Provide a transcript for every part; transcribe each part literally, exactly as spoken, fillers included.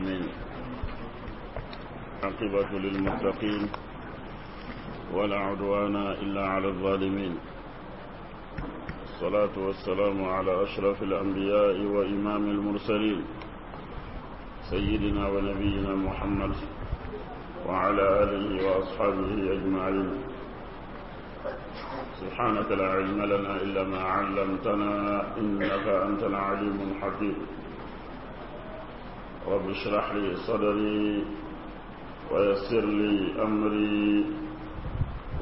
العالمين. عاقبة للمتقين ولا عدوان إلا على الظالمين. الصلاة والسلام على أشرف الأنبياء وإمام المرسلين، سيدنا ونبينا محمد وعلى آله وأصحابه أجمعين. سبحانك لا علم لنا إلا ما علمتنا إنك أنت العليم الحكيم. رب اشرح لي صدري ويسر لي أمري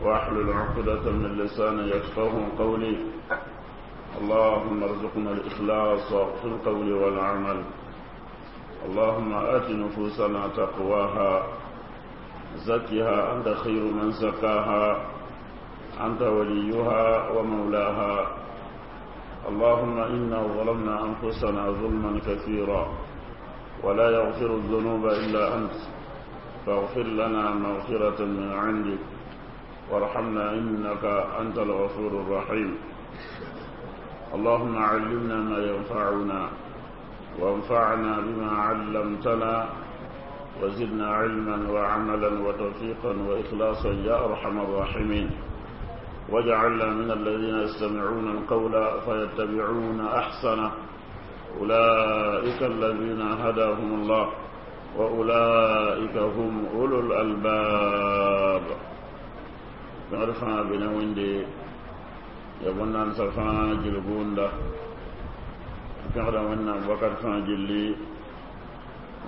واحلل عقدة من لساني يفقه قولي. اللهم ارزقنا الإخلاص في القول والعمل. اللهم آت نفوسنا تقواها، زكها أنت خير من زكاها، أنت وليها ومولاها. اللهم إنا ظلمنا أنفسنا ظلما كثيرا ولا يغفر الذنوب إلا أنت، فاغفر لنا مغفرة من عندك وارحمنا إنك أنت الغفور الرحيم. اللهم علمنا ما ينفعنا وانفعنا بما علمتنا وزدنا علما وعملا وتوفيقا وإخلاصا يا أرحم الراحمين. واجعلنا من الذين يستمعون القول فيتبعون أحسنه، أولئك الذين هداهم الله وأولئك هم أولو الألباب. نعرفها بنا وندي يبنى سفا جلبوندا كهذا ونا بكر فاجلي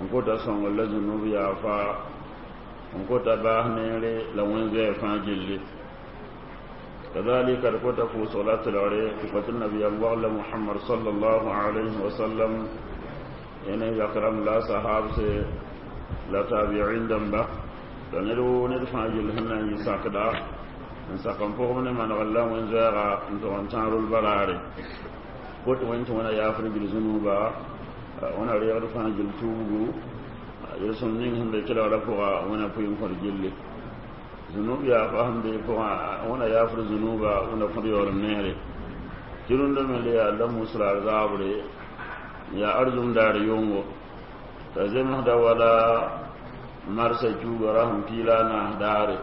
نكوتا سون الذنوب يا فا نكوتا باهنيري لوين فاجلي. كذلك ركوتا في صلاة العري كفة النبي الله محمد صلى الله عليه وسلم يعني يكرم لا صحاب سي لا تابعين دمبا لنرو ندفع جلهن يساقدا نساقم فوق من من غلا وين زاغا انتو انتارو البراري قلت وين تونا يافر بالذنوب وانا رياض فاجل توبو يرسم نينهم بكلا رفوغا وانا فيهم فرجلي ذنوب يا فهم دي فوغا وانا يافر ذنوبا وانا فريور النهر جرون دم اللي الله مسرار زابري يا أرزم دار يونغو تزم هدا ولا مرسى جوغ رحم كيلانا داري.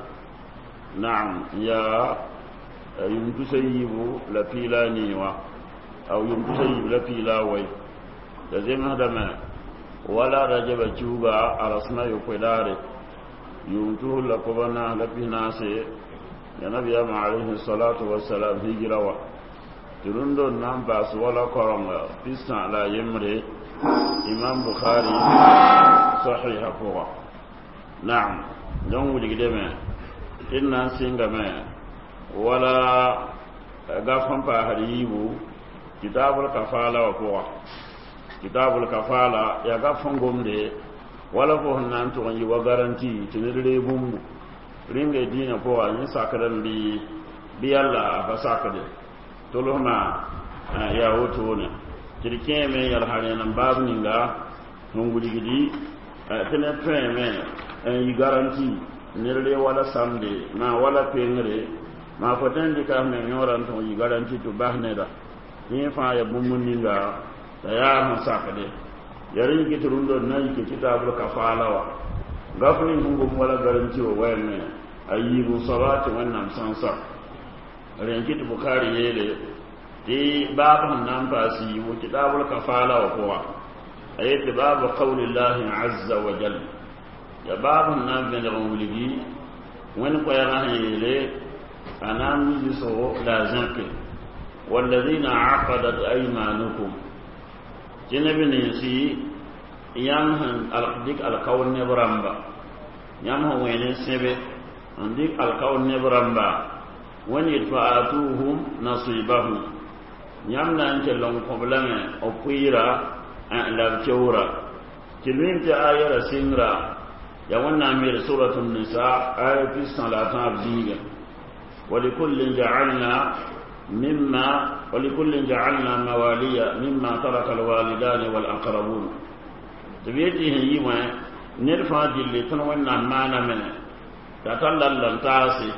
نعم يا يمتسيبو لبيلاني وا أو يمتسيب لبيلاوي تزم هدا ما ولا رجب جوغا أرسنا يقداري يمته لقبنا لبيناسي يا نبي عليه الصلاة والسلام هجروا ترندو نام باس ولا كرم بيسان لا يمري إمام بخاري صحيح فوق. نعم دون ولي إن سينغما ولا غافن باهريبو كتاب الكفالة وفوق كتاب الكفالة يا غافن غومدي ولا فوق نان تو ني وغارانتي تنيرلي بومبو رينغ دينا فوق ني ساكرن بي بيالا فساكدي تولوما يا وتونه تركي مي يالحالي نان باب نينغا نونغولي دي تنه فمي yi garanti nirle wala samde ma wala pengre ma foten di ka me yoran to yi garanti to bahneda ni fa ya bumbu ninga ta ya ha sakade yarin ki turundo na ki kitabul kafala wa gafni hungo wala garanti o wayne ayibu salati wannan sansa ren ki bukhari yele ti babu nan fasi wo kitabul kafala wa kowa ayati babu qaulillahi azza wa jalla ya babu nan vẽneg n wilgi wẽnd koɛɛgã sẽn yeele a na n yiisgo la a zãke والذين عقدت أيمانكم tɩ neb ninsi yãmb sẽn dɩk alkaoor neb rãmba yãmb sẽn wẽen n sẽbe n dɩk alkaoor neb rãmba wẽnd yet fa atuhum nasibahum yãmb na n kell n kõb lame b pʋɩɩra la b keoora tɩ mim tɩ aya ra sɩngra يا ونامير سورة النساء آية الصلاة أبزيغة ولكل جعلنا مما ولكل جعلنا مواليا مما ترك الوالدان والأقربون تبيتي هي ما نرفع جلي تنونا مانا من تتلل لن تاسي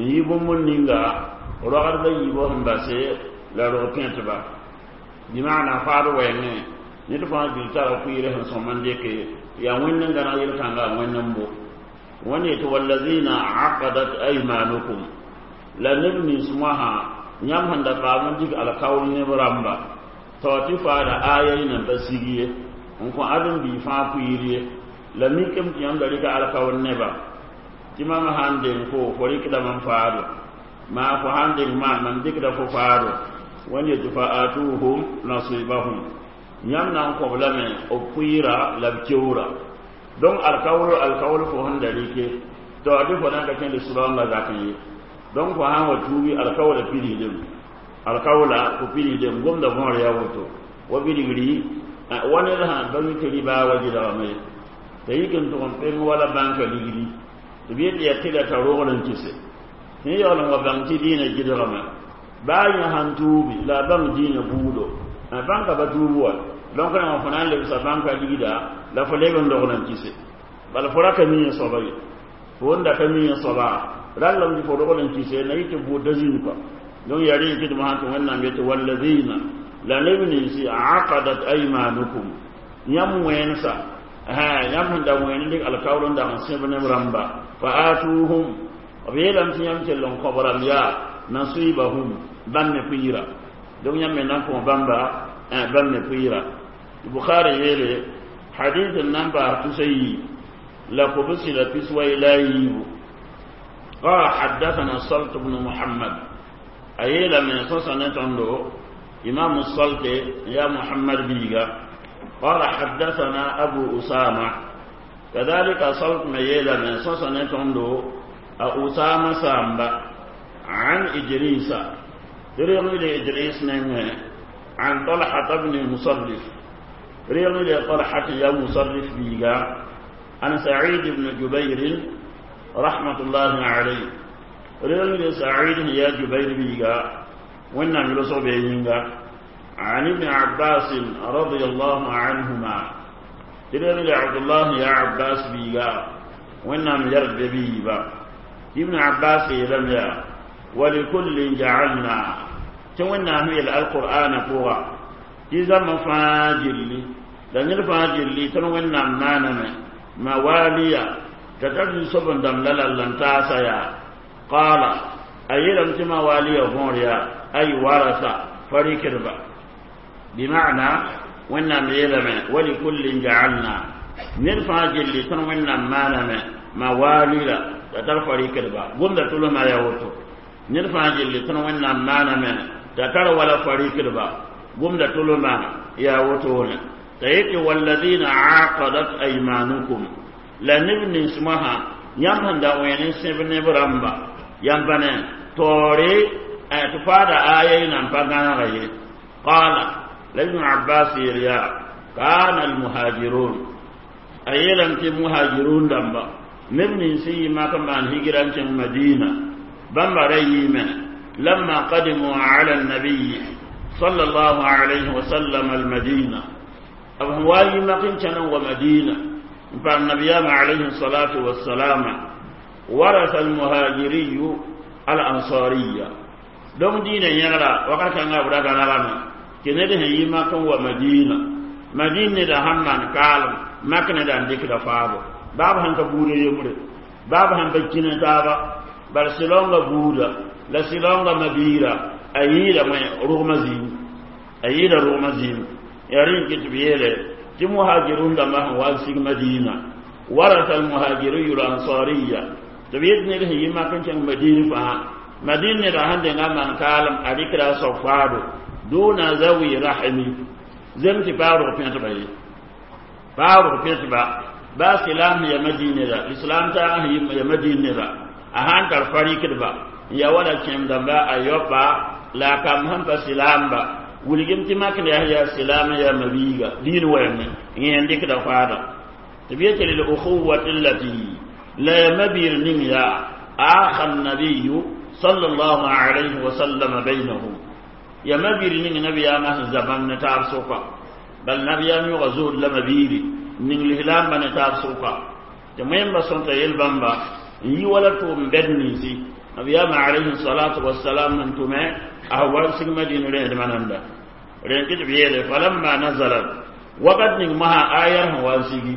يبو من نينغا رغد يبو هم باسي لا رغبين تبا بمعنى فارو وين Ned fãa gil tara kʋɩɩrã sẽn sõm n dɩke yaa wẽnd n gãneg yel-kãnga wẽnd n bo wẽnd yetɩ wallazina aqadat aymanukum la neb nins moasã yãmb sẽn da paam n dɩk alkaool neb rãmba tao tɩ faada aya y nan pa sig ye n kõ ãdem-biig fãa kʋɩɩr ye la mikame tɩ yãmb da rɩka alkaool neba tɩ mam sãn deng fo fo rɩkdame n faado maa fo sãn deng maam mam dɩkda fo faado wẽnd yetɩ fa atuhum nasibahum yãmb na n kõb lame b pʋɩɩra la b keoora donc alkaool alkaool fo sẽn da rɩke tɩ tɩ fo na n ka kẽnd sʋraoongã zakẽ ye donc fo sãn wa tuugi alkaoola pidsdem alkaoola fo pidsdem gomda võor yaa woto wa bilgri wa ned sã ba mi tɩ rɩbaa wa gɩdgame t'a yik n tʋg n peng wala bãnka ligdi tɩ b yet yaa tɩ la t'a rogl n kɩse sẽn yaool n wa bãng tɩ dĩinã gɩdgame baa yẽ sãn tuubi la a bãng dĩinã buudo bãnka pa tuub wa donc rãmba fo na n lebsa bãnka ligda la fo leb n dogl n kɩse bala fo ra ka mi yẽ soaba ye fo n da ka mi yẽ soaba rallame tɩ fo rogl n kɩse na yɩ tɩ buudda zĩnd kɔa donc yaa rẽ tɩ d mosã tɩ wẽnnaam yetɩ wallazina la neb ninsi aqadat aymanukum yãmb wẽensa yãmb sẽn da wẽen dɩk alkaool n dag n sẽb neb rãmba fa atuhum b yeelame tɩ yãmb kell n kõb rãmb yaa nasibahum bãmb me pʋɩɩra donc yãmb me na n kõ bãmba bãmb me pʋɩɩra bukhari yeele hadith n na n paas tusa yi la kobsi la piswai la yiibu قال حدثنا الصلت بن محمد أيلا من صوصة نتندو إمام الصلت يا محمد بيغا قال حدثنا أبو أسامة كذلك صلت ميلا من صوصة نتندو أسامة سامبا عن إدريس رغم إدريس نمه عن طلحة بن مصرف رغم طلحة يا مصرف بيغا عن سعيد بن جبير رحمة الله عليه رغم سعيد يا جبير بيغا وانا ملصو بينغا عن ابن عباس رضي الله عنهما رغم عبد الله يا عباس بيغا وانا مجرد بيبا ابن عباس لم يا ولكل جعلنا تونا هي القرآن فوغا إذا ما فاجل لأن الفاجل لي تنونا مانما مواليا تتجد سبن دم للا لن تاسيا قال أيلم تما واليا فوريا أي ورثة فريق ربا بمعنى ونا ميلم ولكل جعلنا نرفع جلي تنونا مانما مواليا تتر فريق ربا قم تلو ما يوتو نرفع جلي تنونا مانما تتر ولا فريق ربا قم تلو ما يوتون تيتي والذين عاقدت أيمانكم la neb nins mosã yãmb sẽn da wẽen n sẽb neb rãmba yãmb pa ne taoore tɩ faada aya y nan pa gãnega ye qaala la ibn abbas yeel yaa kana almuhajirun a yeelame tɩ muhajirun dãmba neb nins n yɩ mak n maan higira n kẽng madina bãmba ra yɩɩme lamma qadimu ala annabiyi صلى الله عليه وسلم المدينة أبو واي ما كنت ومدينة فالنبي عليه الصلاة والسلام ورث المهاجري الأنصارية دون دين يغرا وقال كان أبدا كان لنا كنده يما كان ومدينة مدينة ده هم من قال ما كان ده عندك ده فابو باب هم كبوري يمر باب هم بكين تابا برسلونغا بودا لسلونغا مبيرا أيلا ما رغم زين أيلا رغم زين يرين كتبيله tɩ muhajirun dãmbã sẽn wa n sig madina warasa almuhajiriyu lansariya tɩ b yet ned sẽn yi mak n kẽng madin fãa madin neda sẽn denga n maan kaalem a rɩkra a soab faado duna zawi rahimi zem tɩ paa rog pẽtba ye paa rog pẽtba baa silaam ya madin neda islam taag sẽn yi ya madin neda a sãn tar fa rɩkdba n ya wala kẽem dãmba a yaopa la a kamb sẽn pa silaamba wilgem tɩ makd yaa yaa silaam yaa mabiiga diin wɛɛme yẽ n dɩkda faada tɩ b yetɩ lilukhuwati allati la ya mabiir ning yaa aakha annabiyu sala allahu alayhi wasallama bainahum ya mabiir ning nabiyaamã sẽn za bãmb ne taab sʋka bal nabiyaam yʋga zood la mabiiri ning lislaambã ne taab sʋka tɩ wẽmba sõta yel-bãmba n yi wala tʋʋm bɛd ninsi nabiyaamã alayhi salatu wasalam n tʋme a wa sig madina rẽedmã nanda rẽn tɩ b yeele falamma nazalat Wakat ning maha ayar sẽn wa n sigi,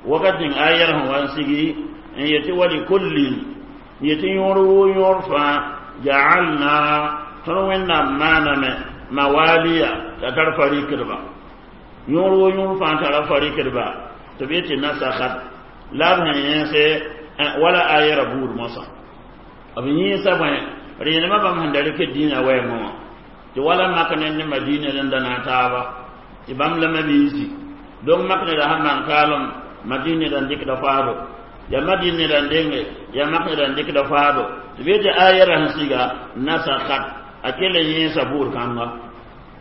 wakat ning ayar sẽn wa n sigi n yetɩ wali kullin, n yetɩ yõor woo yõor fãa jaalna tõnd Wẽnnaam maaname mawaliya t'a tar farikdba. Yõor woo yõor fãa tara farikdba tɩ b yetɩ nasakat la b sẽn yẽese wala ayɛra buud mosã b yẽesa bõe rẽenemã bãmb sẽn da rɩk dĩinã wɛɛngẽ wã tɩ wala mak ned ne Madina n da na n taaba tɩ bãmb la mabiisi. Donc mak neda sãn maan kaalem Madina neda n dɩkda faado ya Madina neda n denge ya mak neda n dɩkda faado tɩ b yetɩ ayɛra sẽn siga nasakat a kell n yẽesa buud kãnga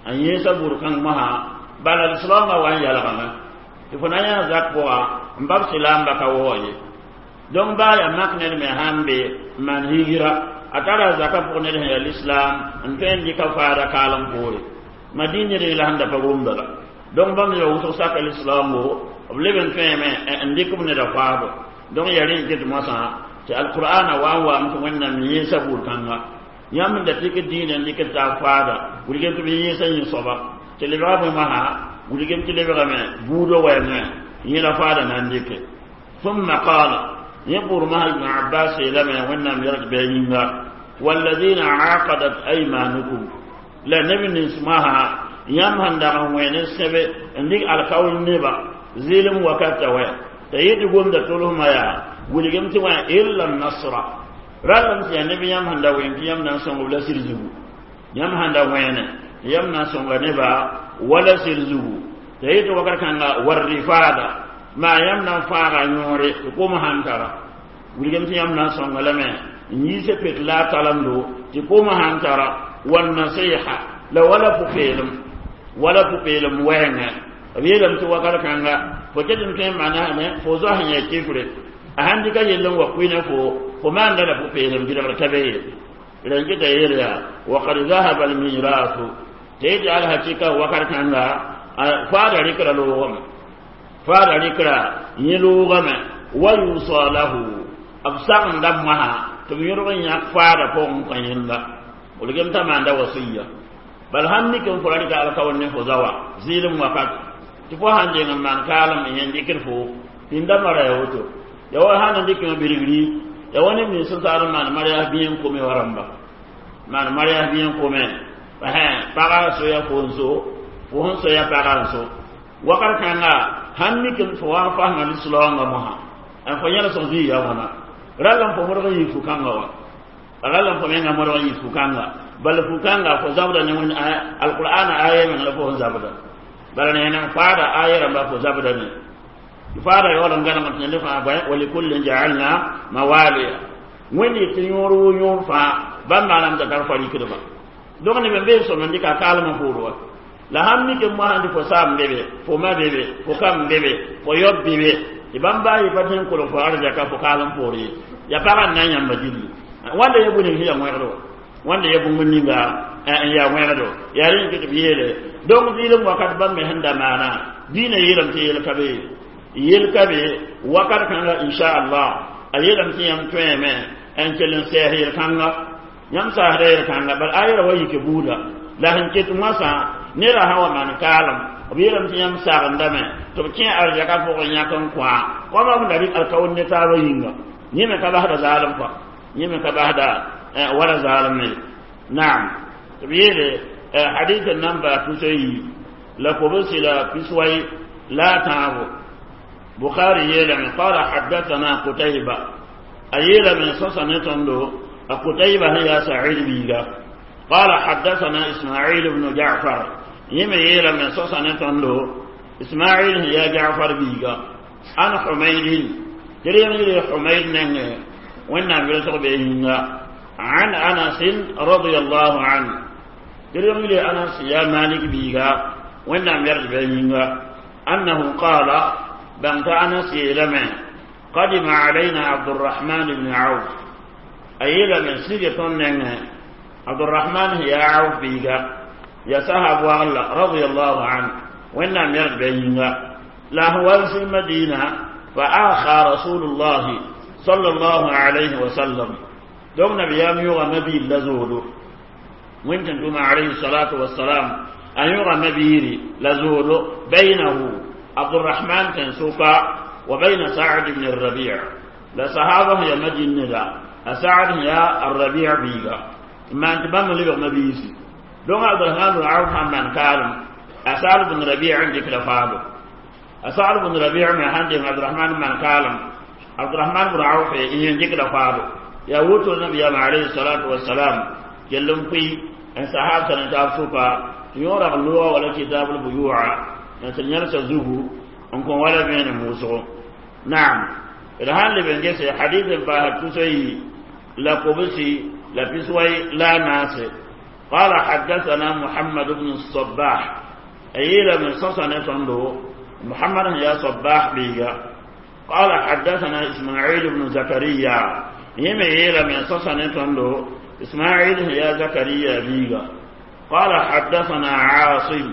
a yẽesa buud kãng mosã bala lislaoongã wa n yalgame tɩ fo na yã zak pʋga n bab silaamba ka waoog ye. Donc baa yaa mak ned me sãn be n maan higira a tara zaka pʋg ned sẽn yaa lislaam n tõe n dɩka faada kaalem poore Madina ned la sẽn da pa gomda la. Donc bãmb neba wʋsg saka lislaamgo b leb n tõeme n dɩk b neda faado. Donc yaa rẽ n ket moasã tɩ alqur'ana wa n waam tɩ Wẽnnaam yẽesa buud kãnga yãmb n da tɩk dĩinã n dɩk taab faada wilgem tɩ b yẽesa yẽ soaba tɩ lebga bõe masã wilgem tɩ lebgame buudã wɛɛngẽ yẽla faada na n dɩke. Thumma qala yẽ buur masã Ibn Abbas yeelame Wẽnnaam yɛlg bɩ a yĩnga walladina aqadat aymanukum la neb nins masã yãmb sẽn dag n wẽen n sẽbe n dɩk alkaool neba zɩɩlem wakata wɛ t'a yetɩ gomda tolsmã yaa wilgem tɩ wã illa nasra rallem tɩ yaa neb yãmb sẽn da wẽn tɩ yãmb na n sõng b la sɩd zugu yãmb sẽn da wẽene tɩ yãmb na n sõnga neba wala sɩd zugu t'a yetɩ wakat kãnga warrifaada maa yãmb na n fãaga yõore tɩ kom sãn tara wilgem tɩ yãmb na n sõnga lame n yiise pet la a talemdo tɩ kom sãn tara wannasiha la wala pʋ-peelem wala pʋ-peelem wɛɛngẽ b yeelame tɩ wakat kãnga fo ket n tõe n manasame fo zoa sẽn yaa kifre a sãn dɩka yell n wa kʋɩ ne fo fo maanda la pʋ-peelem gɩdgr ka be ye rẽn kɩta yeel yaa wakad zahaba almirasu tɩ yetɩ alhakɩka wakat kãnga faada rɩkra loogame faada rɩkra yẽ loogame wa yusa lahu b sagenda mosã tɩ b yõdg n yãk faada pʋgẽ kõ yẽnda wilgem t'a maanda wasiya bal sãn mik n fo ra rɩka alkaoor ne fo zawa zɩɩlem wakat tɩ fo sãn deng n maan kaalem n yẽn dɩkd fo pĩnda mara ya woto ya wa sãn n dɩkẽ birgri ya wa neb nins sẽn taar n maan marias bĩe n kome wa rãmba maan marias bĩe n kome paga soya fo n so fo sẽn soya paga n so wakat kãnga sãn mik n fo wa n fasma lislaoongã mosã n fo yẽlsg zĩig ya wãna rall n fo modg n yɩ fu-kãngã wa rall n fo menga modg n yɩ fu-kãnga bala fu-kãnga fo zabda ne alqur'ana aya meng la fo sẽn zabda bala ne nan faada aya rãmba fo zabda ne faada yaool n gãneg tɩ ned fãa bõe walikullin jaalna mawaliya Wẽnd tɩ yõor woo yõor fãa bãmb maanam t'a tar fa rɩkdba. Donc neb n bee sõm n dɩka kaalmã poor wa la sãn mik n mosã tɩ fo saam be be fo ma be be fo kam be be fo yob be be tɩ bãmb baa yɩ pa tõe n kolg fo arzaka fo kaalem poor ye ya pagã n na n yãmba gilli wãnda ya bũmb ning sẽn yaa wẽgd wa wãnda ya bũmb ninga n yaa wẽgdo yaa rẽ tɩ b yeele. Donc zɩɩlem wakat bãmb me sẽn da maana dĩinã yeelame tɩ yel ka be yel ka be wakat kãnga inchallah a yeelame tɩ yãmb tõeme n kell n sɛɛs yel-kãnga yãmb saasda yel-kãnga bal ayɛra wa yike buuda la sẽn ket moasã nera sã wa maan kaalem b yeelame tɩ yãmb sagendame tɩ b kẽ arzɛka pʋgẽ yãk n kõa kõma b da rɩk alkaoor ne taabã yĩnga yẽ me ka basda zaalem kɔa yẽ me ka basda wala zaalem ye. Naam tɩ b yeele hadith n nan baa tusa yi la kobsi la piswai la tãabo Bukhari yeelame qala haddathana Qutayba a yeelame sõsa ne tõndo a Qutayba sẽn yaa Sa'id biiga qala haddathana Ismail ibn Ja'far yẽ me yeelame sõsa ne tõndo Ismail sẽn yaa Ja'far biiga an Humaydin tɩ rẽem yɩle Humayd nengẽ Wẽnnaam welg be yĩnga an Anas radiyallahu anhu tɩ rẽem yɩle Anas yaa Malik biiga Wẽnnaam yɛrg be yĩnga annahu qala bãng t'a Anas yeelame qadima alayna Abdurrahman ibn Auf a yeelame sige tõnd nengẽ Abdurrahman sẽn yaa Auf biiga ya sahab wagla radiyallahu anhu Wẽnnaam yɛrg be yĩnga la sẽn wa n sig Madina fa akha Rasulullahi sallallahu alayhi wa sallam donc nabiyaam yʋga nabiil la zoodo wẽn tɩ tʋma alayhi salatu wasalam أيوغا مبيري لزول بينه عبد الرحمن تنسوكا وبين سعد بن الربيع. لا صحابة يا مدين لا سعد يا الربيع بيغا. ما أنت بام لي مبيسي دون عبد الرحمن بن عوف من كان أسعد بن ربيع عندك لفابه. أسعد بن ربيع من عندك عبد الرحمن من كان عبد الرحمن بن عوف يندك لفابه. يا وتو النبي عليه الصلاة والسلام جلم في أن صحابة نتابسوكا يورا اللغة ولا كتاب البيوع. نتنيرس زهو أنكم ولا بين موسو. نعم. الهان اللي بنجس حديث الباهر تسوي لا قبسي لا بسوي لا ناس. قال حدثنا محمد بن الصباح. أيلا من صصنة صندو محمد يا صباح بيغا. قال حدثنا إسماعيل بن زكريا. يم إيلا من صصنة صندو إسماعيل يا زكريا بيغا. قال حدثنا عاصم.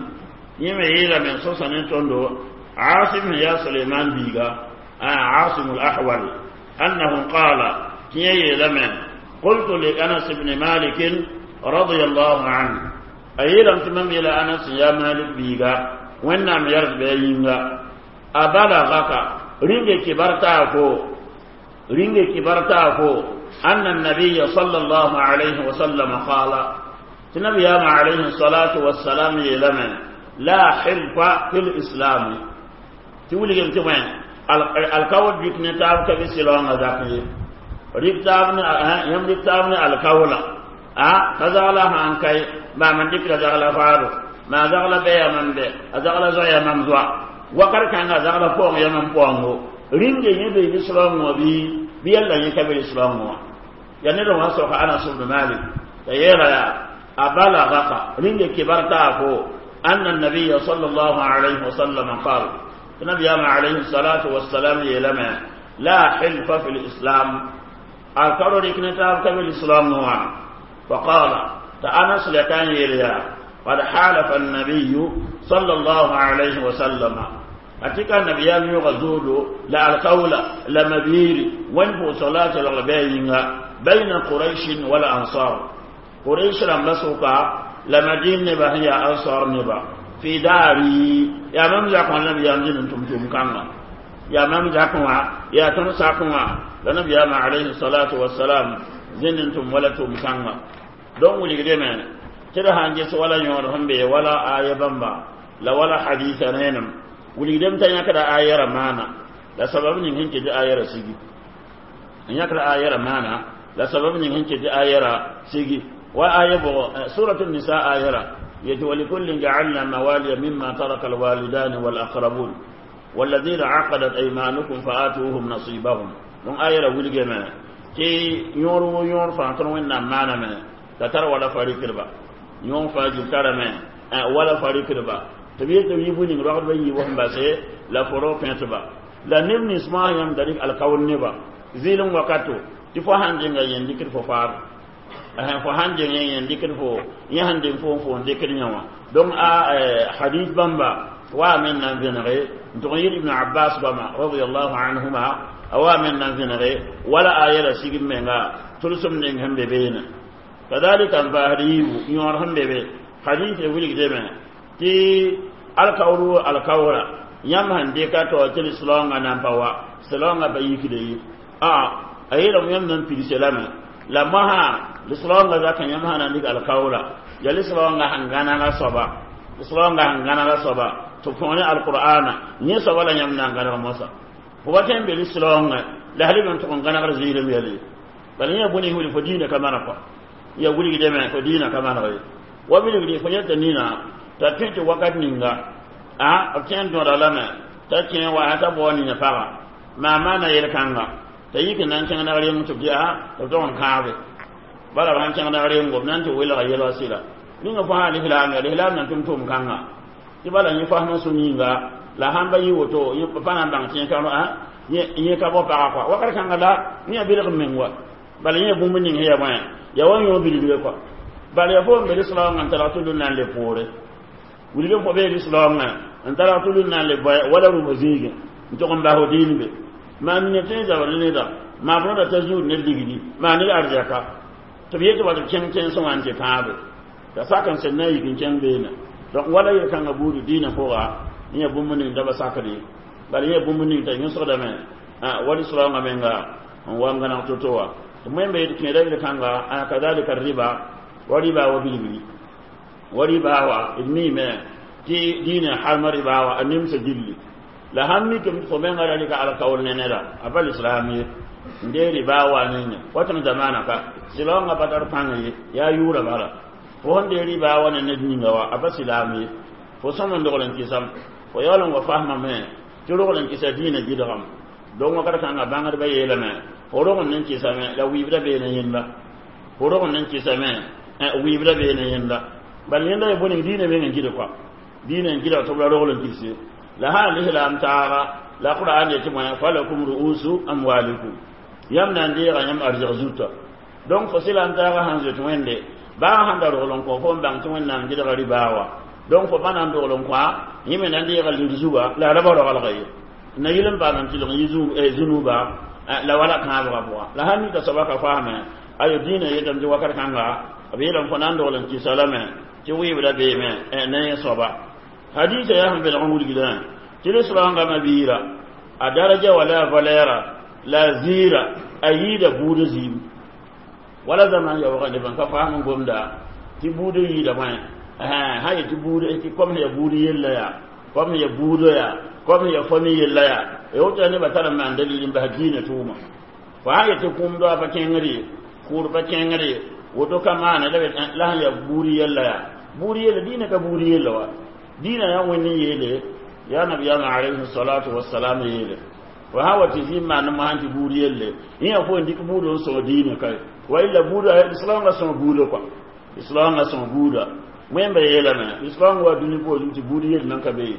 يم إيلا من صصنة صندو عاصم يا سليمان بيغا. آه عاصم الأحول. أنه قال كي لمن قلت لأنس بن مالك رضي الله عنه. أيضا تمام إلى أنس يا مالك بيغا. وإنما يرد بيغا أبلغك. رنج كبرتاكو. رنج كبرتاكو. أن النبي صلى الله عليه وسلم قال النبي عليه الصلاة والسلام لمن لا حلف في الإسلام. تقول لك وين؟ الكول بيك نتاب كبي سلوان ذاك ريكتابنا يم ريكتابنا الكولا أه تزغلا هان كاي ما من ديك زغلا فارو. ما زغلا بيا من بي. زغلا زويا من زوا. وقر كان زغلا فوق يا من فوق رينجي يبي بسلوان وبي بيلا يكبر الإسلام يعني لو أسوق أنا بن مالك. يلا أبلغك. رينجي كبرتا أن النبي صلى الله عليه وسلم قال النبي عليه الصلاة والسلام يلما لا حلف في الإسلام. الكرر كنتاب كبير الإسلام نوعا. فقال تأنس لكان يليا قد حالف النبي صلى الله عليه وسلم. أتيك النبي يغزول لا القول لمبير وانفو صلاة الغبين بين قريش والأنصار. قريش لم لسوكا لمدين نبا هي أنصار نبا. في داري يا مم زاكم النبي يمزين أنتم تم كانا يا مم زاكم يا تنساكم لنبي عليه الصلاة والسلام زين أنتم ولا تم كانا دون ولي كده tɩ sãn ges wala yõod sẽn be wala aya bãmba la wala hadisa rẽenem wilgdem t'a yãkda aya ra maana la sabab ning sẽn ket tɩ aya ra sigi n yãkda aya ra maana la sabab ning sẽn ket tɩ aya ra sigi wa aya bʋgɔ surat nisa aya ra yetɩ walikullin jacalna mawaliya mima taraka alwalidani walaqrabun والذين عقدت أيمانكم فآتوهم نصيبهم دون آية wilgeme tɩ yõor wo yõor fãa tõr wẽnnaam maaname t'a tar wala farikdba yõor fãa gil tarame wala farikdba tɩ b yet tɩ b yɩ bũ ning rogdbã yiibã sẽn base la fo ro pẽtba la neb nins moasã yãmb da rɩk alkaoor neba zɩɩlem wakato tɩ fo sãn denga yẽn dɩkd fo faar fo sãn deng yẽn dɩkd fo yẽ sãn deng fo fo n dɩkd yẽ wã donc a hadith bãmba wa men nan vẽnege n tʋg n yɩl ibn abbas goama radiallahu anhuma a wa men nan vẽnege wala aya la sig m menga tʋlsem ning sẽn be beene kadalika n paasd yiibu yõor sẽn be be hadith wilgdame tɩ alkaoor wo alkaoora yãmb sẽn dɩka tɩ tɩ silaoongã nan pa wa silaoongã pa yikde ye a a yeelame yãmb nan pidse lame la mosã lislaoongã zakã yãmb sã na n dɩk alkaoora ya lislaoongã sẽn gãnega soaba lislaoongã sẽn gãnega soaba tɩ b põg ne alqur'ana yẽ soaba la yãmb na n gãneg mosã fo wa tõe n be lislaoongã la sal b n tʋg n gãnegd zɩɩlem yɛle bala yẽ bũni wilg fo diinã ka maneg kɔa ya wilgdame fo diinã ka maneg ye wa bilgdi fo yẽta nina t'a tõe tɩ wakat ninga a b kẽ n tõoda lame t'a kẽ wa t'a bao nina paga maa maana yel-kãnga t'a yik n na n kẽng nag reng tɩ b tɩ a tɩ b tog n kãabe bala b sãn kẽng nag rengo b na n tɩ welga yɛlga sɩda ninga fo sã lislaam ya lislaam na tʋm tʋm kãnga tɩ bala yẽ fasmã sũ yĩnga la sãn ba yɩ woto pa na n bãng tɩ yẽ ka yẽ ka bao paga kɔa wakat kãnga la yẽ bilg n meng wa bala yẽ bũmb ning sẽn ya bõe ya wa yõ bilgre kɔa bala ya fo n be lislaoongã n targ tɩ lun na n le poore wilg fo bee lislaoongã n targ tɩ lun na n le bõe wala rũmba zĩigẽ n tʋg n bas fo diin be maa nina tõe n zabr ne neda maa b rõda t'a zuud ne ligdi maa ned arzɛka tɩ b yetɩ wa tɩ b kẽng tẽnsẽ wã n tɩ kãabe t'a sak n sẽn na n yik n kẽng beene Donc wala yel-kãngã buudu dĩinã pʋga yẽ bũmb ning da ba sakd ye bala yẽ bũmb ning t'a yõsgdame wa lislaoongã menga n wa n gãneg to-to wã wẽmbe yet kẽeda yel-kãnga kadalika riba wa riba wa bilibili wa riba wa d miime tɩ dĩinã halma riba wa a nemsa gilli la sãn mikame tɩ fo menga ra rɩka alkaool ne neda a pa lislaam ye n dee riba wa ninga watẽng zamaana ka silaoongã pa tar pãng ye yaa yʋʋra bala fo sẽn dee riba wa ne ned ninga wa a pa silaam ye fo sõm n dogl n kɩsam fo yaool n wa fasmame tɩ rogl n kɩsa dĩinã gɩdgame donc wakat kãngã bãngdbã yeelame fo rogend n kɩsame la wɩɩbda beene yẽnda fo rogend n kɩsame wɩɩbda beene yẽnda bal yẽnda ya bõe dĩinã meng n gɩd kɔa dĩinã n gɩdg tɩ b ra rogl n kɩse la sã n lislaam taaga la qur'an yetɩ bõe falakum ru'usu amwalikum yãmb na n deega yãmb arzg zuta donc fo silaam taaga sãn zoet wẽnde baa sãn da rogl n kõ fo n bãng tɩ wẽnnaam gɩdga ribaa wa donc fo pa na n dogl n kõa yẽ me na n deega lir zuga la a ra ba rogalga ye na yɩl n paam n tɩlg yɩ zunuba la wala kãabgã pʋga la sãn mika soaba ka faame ayo dĩinã yetame tɩ wakat kãnga b yeelame fo na n dogl n kɩsa lame tɩ wɩɩbda beeme ne yẽ soaba hadisa yaa sẽn belg n wilgdã tɩ lislaoongã mabiira a daraja wala a valɛɛra la a ziira a yiida buud zĩim wala zaman yaoogã neb n ka faam n gomda tɩ buud yiida bõe sã yetɩ buud tɩ kom sẽn ya buud yella yaa kom sẽn ya buudã yaa kom sẽn ya fami yella yaa ya woto yaa nebã tar n maan dalil n bas diinã tʋʋma fo sã yetɩ kũum doa pa kẽngr ye kʋʋd pa kẽngr ye woto ka maana la la sẽn ya buud yella yaa buud yella diinã ka buud yella wa diinã yaa wẽnd n yeele yaa nabiyaamã alayhi salatu wasalam yeele fo sã wa tɩ zĩm maan mosã tɩ buud yelle yẽ yaa fo n dɩk buud n sõg diinã kae wa illa buuda lislaoongã sõg buuda kɔa lislaoongã sõg buuda wẽmba yeelame lislaoong wa dũni poorẽ tɩ buud yell nan ka be ye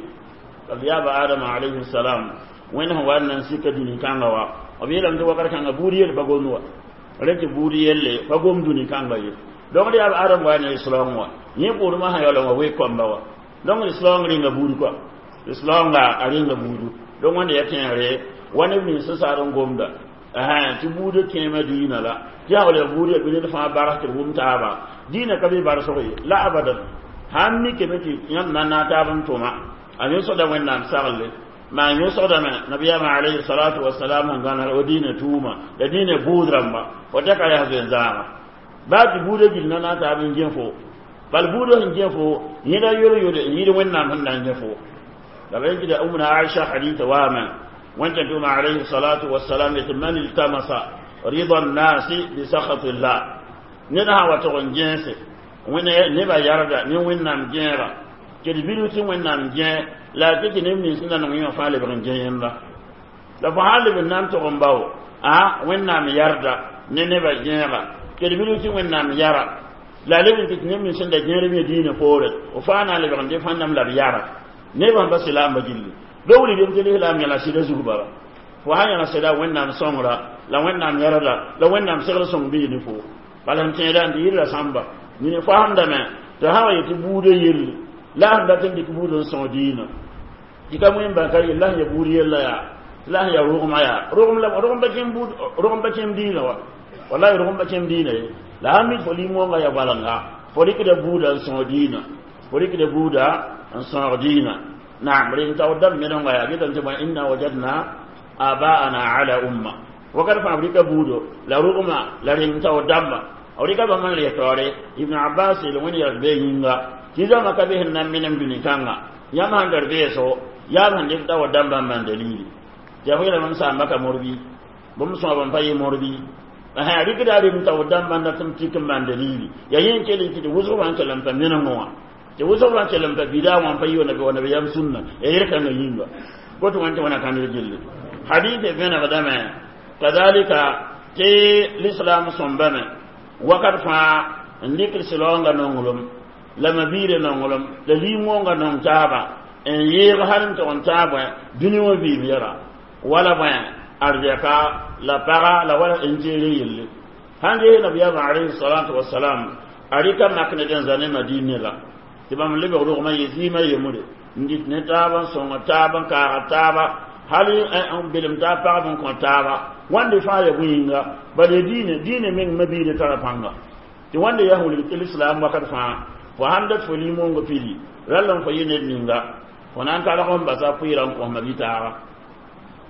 b yaaba adama alayhi salam wẽnd sẽn wa n na n sika dũni kãnga wa b yeelame tɩ wakat kãnga buud yell pa gomd wa rẽ tɩ buud yelle pa gom dũni kãnga ye donc d yaab adam wa ne lislaoong wa yẽ pʋʋrmã sã yaool n wa week kõmba wa donc lislaoong rĩnga buud kɔa lislaoongã a rĩnga buudu donc wẽnda ya tẽegre wa neb nins sẽn saar n gomda tɩ buudã kẽema diinã la tɩ yaa wala buud ya bɩ ned fãa bags tɩ d wʋm taaba diinã ka be barsg ye la abadan sãn mikame tɩ yãmb na n na taab n tʋma a yõsgda wẽnnaam sagle maa yõsgdame nabiyaamã alayhi salatu wasalam sẽn gãneg wa diinã tʋʋma la diinã buud rãmba fo tɛka yaa zoe-zãaga baa tɩ buudã gill na na taab n gẽ fo bal buudã sẽn gẽ fo yẽda yol-yole n yɩɩd wẽnnaam sẽn na n gẽ fo la ba yẽkda umna aisha hadita waame wẽnta tʋma alayhi salatu wasalam yetɩ man iltamasa rida nnasi bisakhati llah ned sã wa tog n gẽese nebã yarda ne wẽnnaam gẽega tɩ d bilf tɩ wẽnnaam gẽ la a tɩ tɩ neb nins sẽn da nong yẽ wã fãa lebg n gẽ yẽnda la fo sã leb n na n tog n bao a wẽnnaam yarda ne nebã gẽega tɩ d bilf tɩ wẽnnaam yara la a leb n tɩ tɩ neb nins sẽn da gẽerb yẽ diinã poore f fãa na n lebg n dɩ fãndame la b yara nebã sẽn pa silaambã gilli do wilgem tɩ lislaam yãla sɩda zug bala fo sã yãla sɩda wẽnnaam sõngra la wẽnnaam yarda la wẽnnaam segl sõng bɩ ne fo bala n tẽeda n tɩ yɩrla sãmba nini faamdame tɩ sã wa yetɩ buudã yelle la sẽn dat n dɩk buud n sõg diinã tɩ ka wẽn bãn ka yel la sẽn ya buud yella yaa la sẽn ya rogmã yaa rogm la rogm pa kẽem buud rogm pa kẽem diinã wa wallahi rogm pa kẽem diinã ye la sãn mik fo lim-wonga ya balenga fo rɩkda buuda n sõg diinã fo rɩkda buuda n sõg diinã naam rẽn taoor dãmb menenga yaa getame tɩ bõe inna wajadna abaana ala umma wakat fãa b rɩka buudo la rogma la rẽng taoor dãmba b rɩka bãmb n les taoore ibn abbas yel wẽnd yɛls bee yĩnga tɩ zãma ka be sẽn na n menem dũni kãnga yãmb sãn tar beeso yaa b sẽn dɩk taoor dãmbã n maan dalili tɩ ya fo yeelame m saamba ka morbi bũmb sõab n pa yɩ morbi rɩkda rem taoor dãmbã n dat m tik n maan dalili ya yẽ n kell n tɩ tɩ wʋsg fãa n kell n pa menengẽ wã tɩ wʋsg fãa kell n pa bidaa wã n pa yɩ wa nabiyaam sũnna ya yel-kãngã yĩnga goto wẽn tɩ wẽna kãndr gilli hadith vẽnegdame kadalika tɩ l'islam sõmbame wakat fãa n dɩkd sɩlaoongã nonglem la mabiirã nonglem la lim-wonga nong taaba n yɩɩg hal n tog n taab bõe dũni wã vɩɩm yɛra wala bõe arzɛka la paga la wala n zeere yelle sãn ges nabiyaamã alayhi salatu wasalam a rɩka mak ned n za ne madine la tɩ bãmb lebg rogmã yɩ zɩɩmã yembre n dɩt ne taab n sõng taab n kaaga taaba hal n belem taab pagb n kõ taaba wãnde fãa ya bõe yĩnga bala ya diinã diinã meng mabiirã tara pãnga tɩ wãnde yaa wilg tɩ lislaam wakat fãa Fo sãn dat fo limong pili rall n fo yɩ ned ninga fo na n targ n basa pʋɩɩrã n kos ma-bi-taaga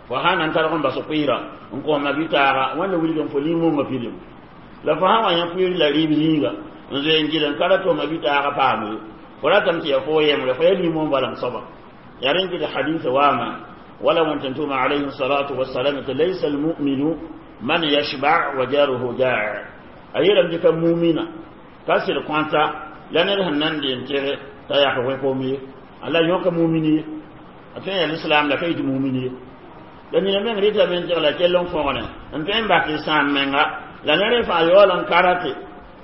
fo sã na n targ n bas pʋɩɩrã n kos ma-bi-taaga wẽnda wilg n fo limongã pilim la fo sã wa yã pʋɩɩr la rɩɩb zĩiga n zoe n gɩd n ka ra tɩ ma-bi-taagã paam ye fo ratame tɩ ya fo yembre fo ya limong bala n soaba ya rẽn kɩ tɩ hadisa waama wala wẽn tʋma alayhi salatu wasalam tɩ laysa almuminu man yashba wa jaruhu jaa a yeelame tɩ ka mumina ka sɩd kõta la ned sẽn nan deen tɩge t'a yak wẽ-kom ye ala yõka mumin ye a tõe n yaa lislaam la ka yɩ tɩ mumin ye la nina meng rɩtame n tɩg la kell n fõgne n tõe n bak y sãam menga la ned fãa yaool n karate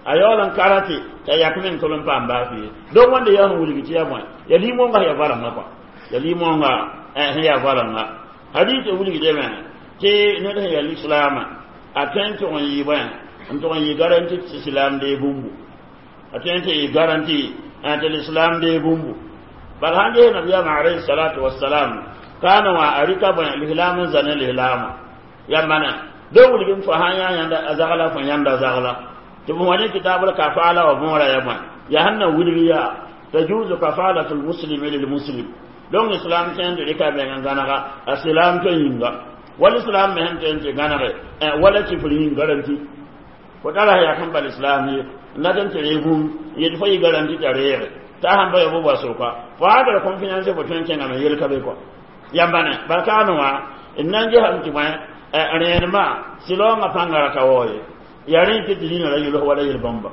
a yaool n karate t'a yak meng tol n paam baaf ye donc wẽnda yaa sẽn wilg tɩ yaa bõe ya lim-wõnga sẽn yaa goalengã kɔa ya lim-wõnga sẽn yaa goalengã hadis wilgdame tɩ ned sẽn yaa lislaamã a tõe n tʋg n yɩ bõe n tʋg n yɩ garanti tɩ islam dee bũmbu a tõe n tɩ yɩ garanti tɩ l'islam dee bũmbu bal sãn ges nabiyaamã alayhi salatu wasalam kaana wã a rɩka bõe lislaam n zã ne lislaamã ya mana do wilg n fo sãn yaa yãnda a zagla fo yãnda zagla tɩ b wã ne kitaabl kafaala wa võora ya bõe yaa sẽn na wilg yaa tajuzu kafalatu lmuslimi lilmuslim donc islam tõe n tɩ rɩka bẽng n gãnega a silam tɩ yĩnga wala islam me sẽn tõe n tɩ gãnege wala kifr yĩng garanti fo tara yaa sẽn bal islam ye n dat n tɩ ree bũmb n yet fo yɩ garanti t'a reege t'a sãn pa ya bo wa soka fo sã tar confiance fo tõe n kẽngame yel ka be kɔ yãmba ne bal kaane wã n na n gesame tɩ bõe rẽenemã sɩlaoongã pãnga ra ka wao ye yaa rẽ tɩ tɩ zĩna ra yʋls wala yel-bãmba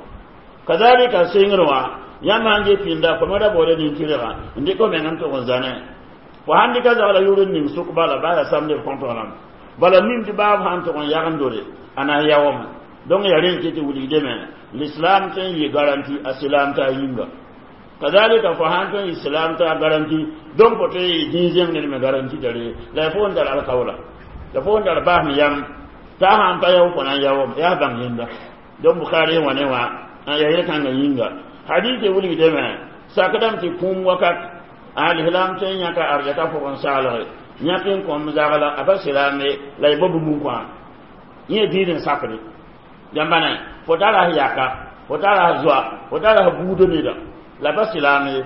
kazalika sɩngr wã yãmb sãn ge pĩnda fo me ra baooda nin-tɩrgã n dɩk f meng n tʋg n zãne fo sãn dɩka zagla yʋr n ning sʋk bala baa yaa samd b kõntg rãmb bala mim tɩ baab sãn tʋg n yagndore a na n yaoome donc yaa rẽ tɩ tɩ wilgdame l'islam tõe n yɩ garanti a silam t'a yĩnga kazalika fo sãn tõe n yɩ silam t'a garanti donc fo tõe n yɩ dĩn-zẽng ned me garanti tare la fo n tar alkaoola la fo n tar baasem yam t'a sãn pa yao fo na n yaoome yaa bãng yẽnda donc bukhari wã ne wã yaa yel-kãngã yĩnga hadise wilgdame sakdame tɩ kũum wakat a lislam tõe n yãka arzɛka pʋgẽ saglge yãk n kõm zagla a pa silaame la y bao bũmb n kõ yẽ diid n sakde yãmba ne fo tara s yaka fo tara s zoa fo tara s buudã neda la pa silaame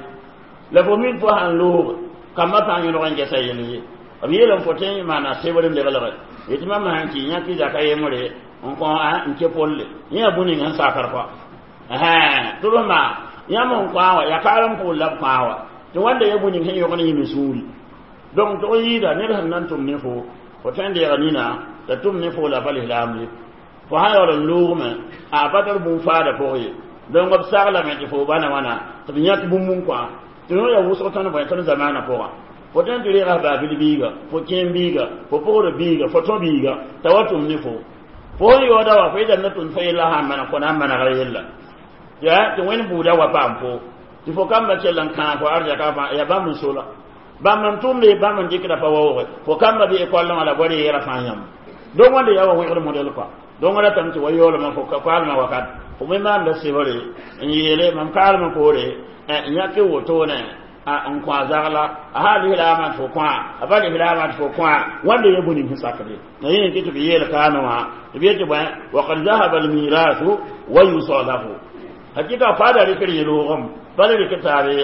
la fo min fo sãn loog kambã pãng yõlg n gɛsa yel ye b yeelame fo tõe n maana sebr n leglge yetɩ mam sãn kɩ yãk zaka yembre n kõ n ke polle yẽ yaa bũ-ning sẽn sakr kɔa tɩ b maa yãmb n kõ a wã yaa kaar n pʋʋl la b kõ a wa tɩ wãnda ya bũ-ning sẽn yõgn yĩm sũuri donc tɩ yɩɩda ned sẽn na n tʋm ne fo fo tõe n deega nina t'a tʋm ne fo la pa lislaam ye fo sã yaool n loogme a pa tar bũmb faada pʋg ye donc b saglame tɩ fo bãna wãna tɩ b yãk bũmb n kõ tɩ yõ yaa wʋsg tõnd bõe tõnd zamaanã pʋgã fo tõe n tɩ reega baabil biiga fo kẽem biiga fo pʋgd biiga fo tõ biiga t'a wa tʋm ne fo fo sẽn yaooda wa fo yetame tʋm fo yella sã n maneg fo na n manegr yella ya tɩ wẽnd buuda wa paam fo tɩ fo kamba kell n kãag fo arzɛka fãa yaa bãmb n sola bãmb n tʋmde bãmb n dɩkda pa waooge fo kamba bɩ ekɔllẽ wã la goad yeera fãa yãmb donc wãnda yaa wa wẽgd modɛl kɔa donc ratame tɩ wa yaoolmã fo kaalmã wakat fo me maanda sebre n yeele mam kaalmã poore n yãk wotone n kõ a zagla a sã lislaamã tɩ fo kõa a pa lislaamã tɩ fo kõa wãnda ya bũ-ning sẽn sakde la yẽ tɩ tɩ b yeel kaame wã tɩ b yetɩ bõe wakad zahaba almirasu wa yusalahu hakika fada rɩkr yeloogem bala rɩk taabe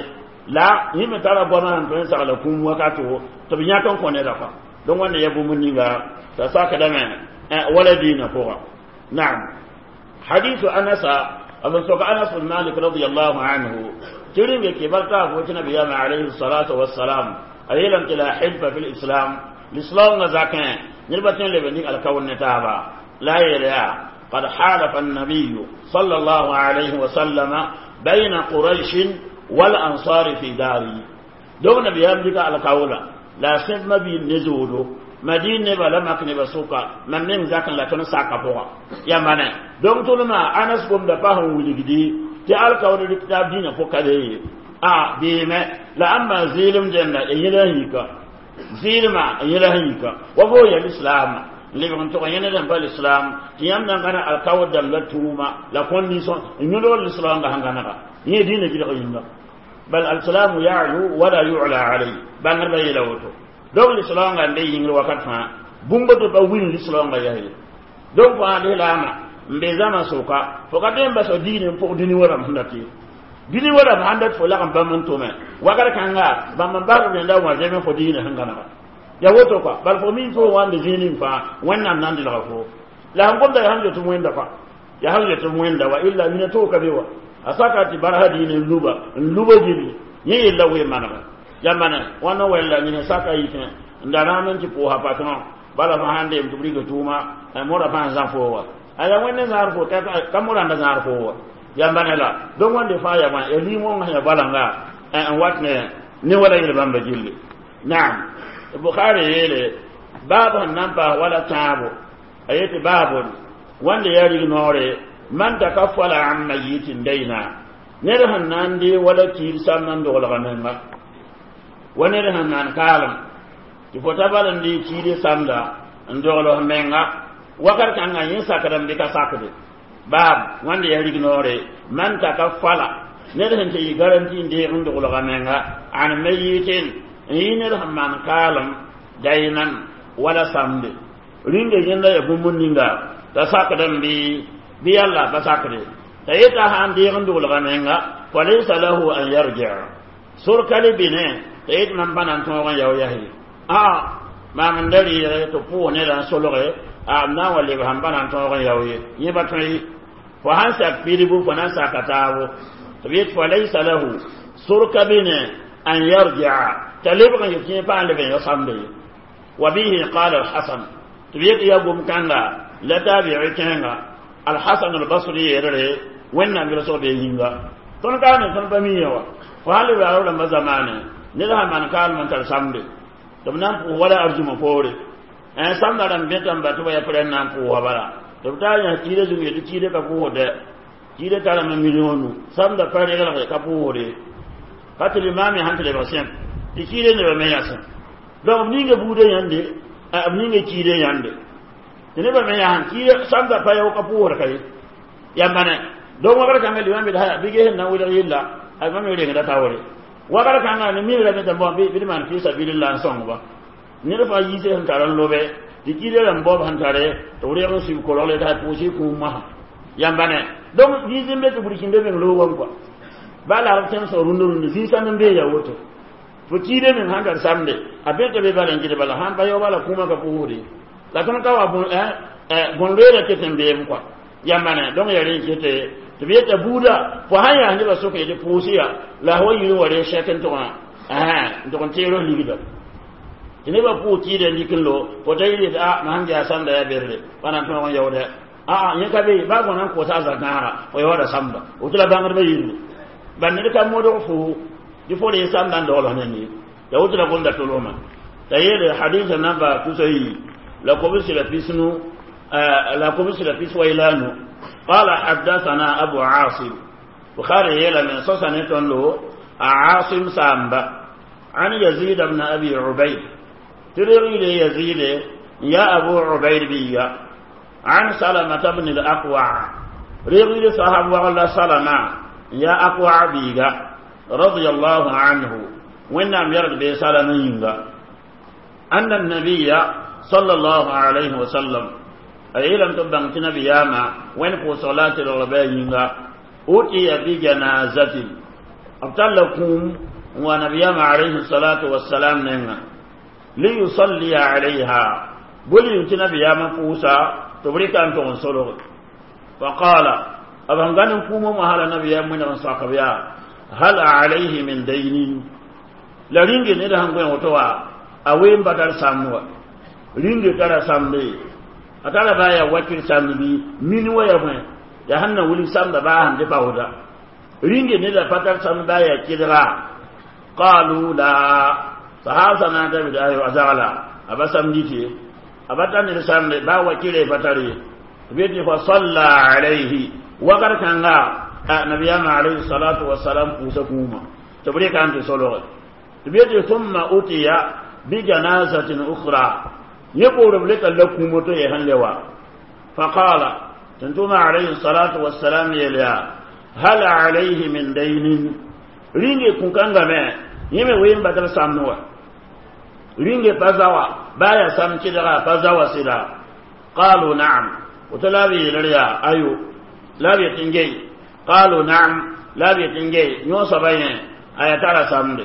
la yẽ me tara goamã sẽn tõe n sagla kũum wakato tɩ b yãk n kõ neda kɔa donc wãnda ya bũmb ninga t'a sakdame wala diinã pʋga naam hadisu anasa b sok anas bin malik radiallahu anhu tɩ rĩnge kɩbar taa fo tɩ nabiyaamã alayhi salatu wassalam a yeelame tɩ la hilfa fi lislam lislaoongã zakẽ nedba tõe n leb n dɩk alkaoor ne taaba la a yeel yaa قد حالف النبي صلى الله عليه وسلم بين قريش والأنصار في داري دون نبي أمريكا على كولا لا سيف ما بي نزولو مدينة بلا مكنة بسوكا من من ذاك لا تنسى ساكا بوا يا مانا دون تلما أنس قم دفعهم ولدي تعال كولا الكتاب دين فوق هذه آه بيما لا أما زيلم جنة يلهيك زيلما يلهيك وهو الإسلام leb n tʋg yẽned n pa l'islam tɩ yãmb na n gãneg alkaoor dãmb la tʋʋma la condition n yõlg l'islam sẽn gãnega yẽ dĩinã gɩlg yĩnga bal alislamu ya'lu wala yu'la alayhi bãngdbã yeela woto donc lislaoongã n be yĩngr wakat fãa bũmb tɩ pa wil lislaoongã yaa ye donc fãa lislaamã n be zãma sʋka fo ka tõe n bas diine n pʋg dũni wa rãmb sẽn dat ye Bini wala b sãn dat fo lagm bãmb n tʋme wakr kãnga bãmb n basd rẽnda wã zeme fo diinã sẽn gãnega ya woto kɔa bal fo min fo wãnde zĩig ning fãa Wẽnnaam na n delga fo la sẽn gomda yaa sẽn get wẽnda kɔa yaa sẽn get wẽnda wa illa mina toog ka be wa a saka tɩ barsa diine n luba n luba gilli yẽ yella wee manega ya mane wãna wɛlla nina saka yitẽ n da rãam n tɩ pʋʋsa patron bala fo sãn deem tɩ b rɩka tʋʋma morã fãa n zã fo wa a yaa wẽnd zãad fo ka morã n da zãad fo wa ya mane la donc wãnde fãa ya wã ya limong sẽn ya balanga n wat ne ne wala yel bãmba gilli naam Bukhari yeele baab sẽn na n paas wala tãabo a yetɩ baabon wãnde yaa rig noore man takaffala an mayitin dayna ned sẽn na n dee wala kiir samd n doglga menga wa ned sẽn maan kaalem tɩ fo ta bal n dee kiire samda n dogl f menga wakat kãngã yẽ sakdame bɩ ka sakde baab wãnde yaa rig noore man takaffala ned sẽn tɩ yɩ garanti n deeg n doglga menga an mayitin n yɩ ned sẽn maan kaalem daynan wala samde rĩnga yẽnda ya bũmb ninga t'a sakdame bɩ bɩ yalla pa sakde t'a yeta sãn deeg n doglga menga falaysa lahu an yarjia sor ka le bɩne t'a yet mam pa na n tõog n yao yas ye a maam n da rɩɩge tɩ pʋʋs neda n solge a m na n wa leb sãn pa na n tõog n yao ye yẽ pa tõe ye fo sãn sak pidbu fo na n saka taabo tɩ b yet falaysa lahu sor ka bɩne an yarjia t'a lebg n yet yẽ pa n leb n yao samde ye wa bihi qala alhasan tɩ b yet yaa gom-kãnga la tabi'i kẽenga alhasan albasri yeelre wẽnnaam yelsg bee yĩnga tõnd ka ne tõnd pa miã wa fo sãn leb yaa rãmbã zamaane ned sãn maan kaalem n tar samde tɩ b na n pʋʋs wala arzũmã poore samda rãmb bẽta n ba tɩ ba ya pʋrẽn na n pʋʋsa bala tɩ b taa yãs kiida zũng yetɩ kiida ka pʋʋsdɛ kiida tarame million nu samda pa reglge ka pʋʋsde ka tɩ limaame sãn tɩ lebg sẽm tɩ kiida nebã me yãsẽ donc b ninga buudã yãnde b ninga kiida yãnde tɩ nebã me yãsẽ kiida samda pa yao ka pʋʋsd ka ye yambane donc wakr kãnga limam bɩ bɩ ges n na n welg yella a mam rengda taoore wakr kãnga ne mi rame tɩ bõ bɩ d maan fi sabilillah n sõngba ned fãa yiise sẽn tar n lobe tɩ kiida rãmb baoob sẽn tare tɩ b reg n sib korogle t'a pʋʋs y kũum masã yambane donc zĩis n be tɩ burkĩnda meng loogame kɔa baa la b tẽmsg rũndã rũndã zĩig sãnd n bee ya woto fo kiida meng sãn tar samde a bẽta be bala n gɩd bala sãn pa yao bala kũumã ka pʋʋsde la tõnd ka wa bõn-loeera ket n beem kɔa yambane donc ya rẽ n kete tɩ b yeta buuda fo sãn yaa nebã sʋk yetɩ pʋʋs ya la wa yir n wa ree sɛk n tʋgã n tʋg n teer f ligda tɩ nebã pʋʋs kiida n lik n lo fo ta yɩl yetɩ a mam sẽn yaa samda yaa berre pa na n tõog n yaoodɛ aa yẽ ka be baa bõna n kosa a zakãaga fo yaooda samda woto la bãngdbã yĩnge bal ned ka modg fo tɩ fo ree samda n dogl f neng ye ya woto la gomda tolgmã t'a yeele hadisa namba tusa yi la kobsi la pisnu la kobsi la pis waylanu قال حدثنا أبو عاصم بخاري يلا من صصنة له عاصم سامبا عن يزيد بن أبي عبيد ترغي يزيد يا أبو عبيد بيا عن سلمة بن الأقوع رغي صحاب وغلا سلمة يا أقوع بيغا رضي الله عنه وإنهم يرد بسلمة ينغا أن النبي صلى الله عليه وسلم أي لم تبن نبياما وين فو صلاة الربا ينغا أوتي بجنازة أبطل لكم ونبياما عليه الصلاة والسلام نينغا ليصلي عليها بولي ينتي نبياما فوسا تبريك أن تنصره فقال أبهنغان كومو مهالا نبياما من رنساقبيا هل عليه من دين la ringe ne da hangoen woto wa a wen badar samwa ringe tara sambe a tara ba ya wakil sambi min wa ya fẽ ya sẽn na wilg samda baa sẽn dɩ baooda ringe ne la patar samd baa ya kɩdga qalu la sahaba na n dabd ayo a zagla a ba samdi tɩ a ba tar ned samde baa wakɩre pa tar ye b yetɩ fa salla alayhi wakat kãnga nabiyama alayhi salatu wasalam pʋʋsa kũuma tɩ b rɩka n tɩ solge tɩ b yetɩ thumma utiya bijanazatin ukhra yẽ poor b leta la kũumo to yɛ sẽn le wa faqala tɩ tʋma alayhi salatu wasalam yeel yaa hal alayhi min daynin ringe kũ-kãngame yẽ me ween badr samd wa ringe pa zawa baa yaa sam kɩdga pa zawa sɩda qalu naam woto la b yeelr yaa ayo la b yet n gei qalu naam La b yet n ge yõ soaba yẽ a yaa tara samde.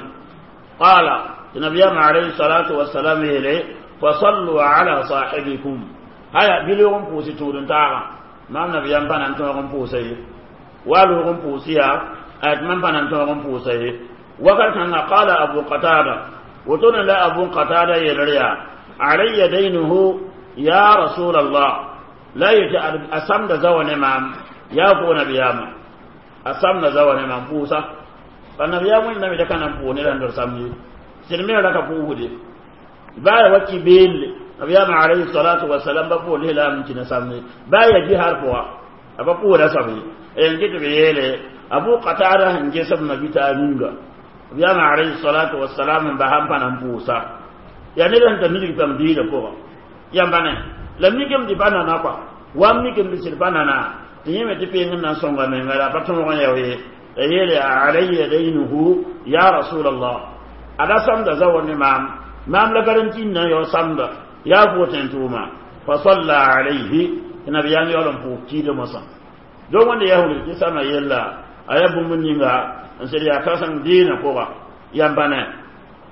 Qala, tɩ nabiyaam alayhi salatu wasalam yeele: fasallu ala sahibikum. Haya, bɩ loog n pʋʋs tũud n taagã. Maam nabiyaam pa na n tõog n pʋʋsa ye, wa loog n pʋʋs yaa a tɩ mam pa na n tõog n pʋʋsa ye. Wakat kãnga, qala Abu Qatada, wotone la Abu Qatada yeelr yaa: alayya daynuhu ya rasul Allah. La yetɩ a samda zawa ne maam, yaa fo nabiyaamã, a samda zawa ne maam pʋʋsa. Pa nabiyaam wẽnnaam da ka na n pʋʋs ned sẽn dor samd ye, sɩd me ra ka pʋʋsde baa ya wa ki beelle. Nabiyaamã alayhi salatu wasalam ba pʋʋs lislaam n kĩna samde, baa ya jihar pʋga a pa pʋʋsda soab ye. N kɩ tɩ b yeele Abu Qatada sẽn ges b mabita a ninga, nabiyaamã alayhi salatu wasalam n basa n pa na n pʋʋsa. Yaa ned sẽn tar nidg pãng diinã pʋgã yãmba ne la mikame tɩ pa nana kɔa, wa m mikame tɩ sɩd pa nana, tɩ yẽ me tɩ peng n na n sõnga menga la pa tõog n yao ye. La yeele: alayya daynuhu ya rasul Allah, ada samda zawa ne maam, maam la garanti n na n yao samda, yaa fo tẽn tʋʋma. Fa salla alayhi, tɩ nabiyaam yaool n pʋʋs kiida mosã. Donc wẽnda yahud tɩ sama yella a yaa bũmb ninga n sed yaa kãseng dɩɩnã pʋga. Yãmba ne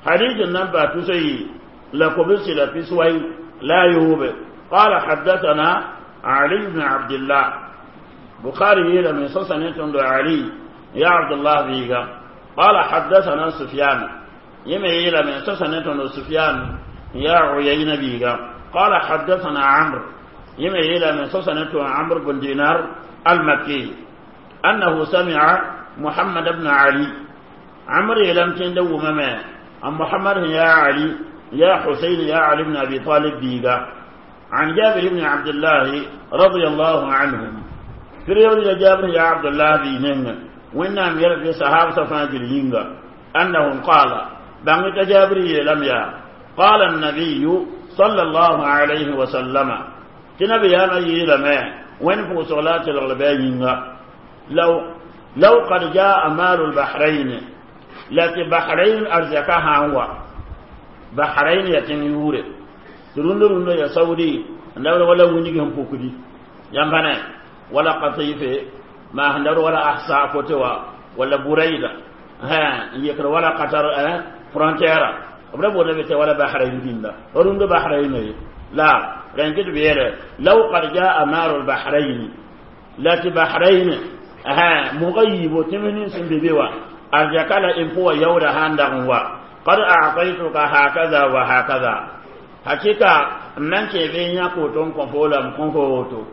hadith n nan pa tusa yi la kobsi la piswai la yoobe. قال حدثنا علي بن عبد الله، بخاري يلا من سنة علي يا عبد الله بيغا. قال حدثنا سفيان، يما يلا من سنة سفيان يا عيينة بيغا. قال حدثنا عمرو، يما يلا من سنة عمرو بن دينار المكي، أنه سمع محمد بن علي. عمرو يلم تندو مما أم محمد يا علي يا حسين يا علي بن أبي طالب بيغا، عن جابر بن عبد الله رضي الله عنهم. في رواية جابر يا عبد الله بيننا وإنهم يرفي صحابة فاجر ينغا أنهم قال بانك جابر لم يا قال النبي صلى الله عليه وسلم تنبي يا يلما وين فوق صلاة الغلباء ينغا لو لو قد جاء مال البحرين لكن بحرين أرزقها هو بحرين يتن يوري rundo rundo ya Saudi ndawra wala wuni gam pokudi yambane wala Qatife ma ndawra wala Ahsa kotewa wala Buraida ha yekra wala Qatar eh frontière abra bo bete wala Bahrain dinda rundo Bahrain la rangid biyere. Law qad jaa maru al-Bahrain lati Bahrain ha mughayib timnin sin bibiwa arjakala impo yawra handa wa qad a'taytuka hakaza wa hakaza. Hakika nan ke be nya ko ton ko fola m kon ko woto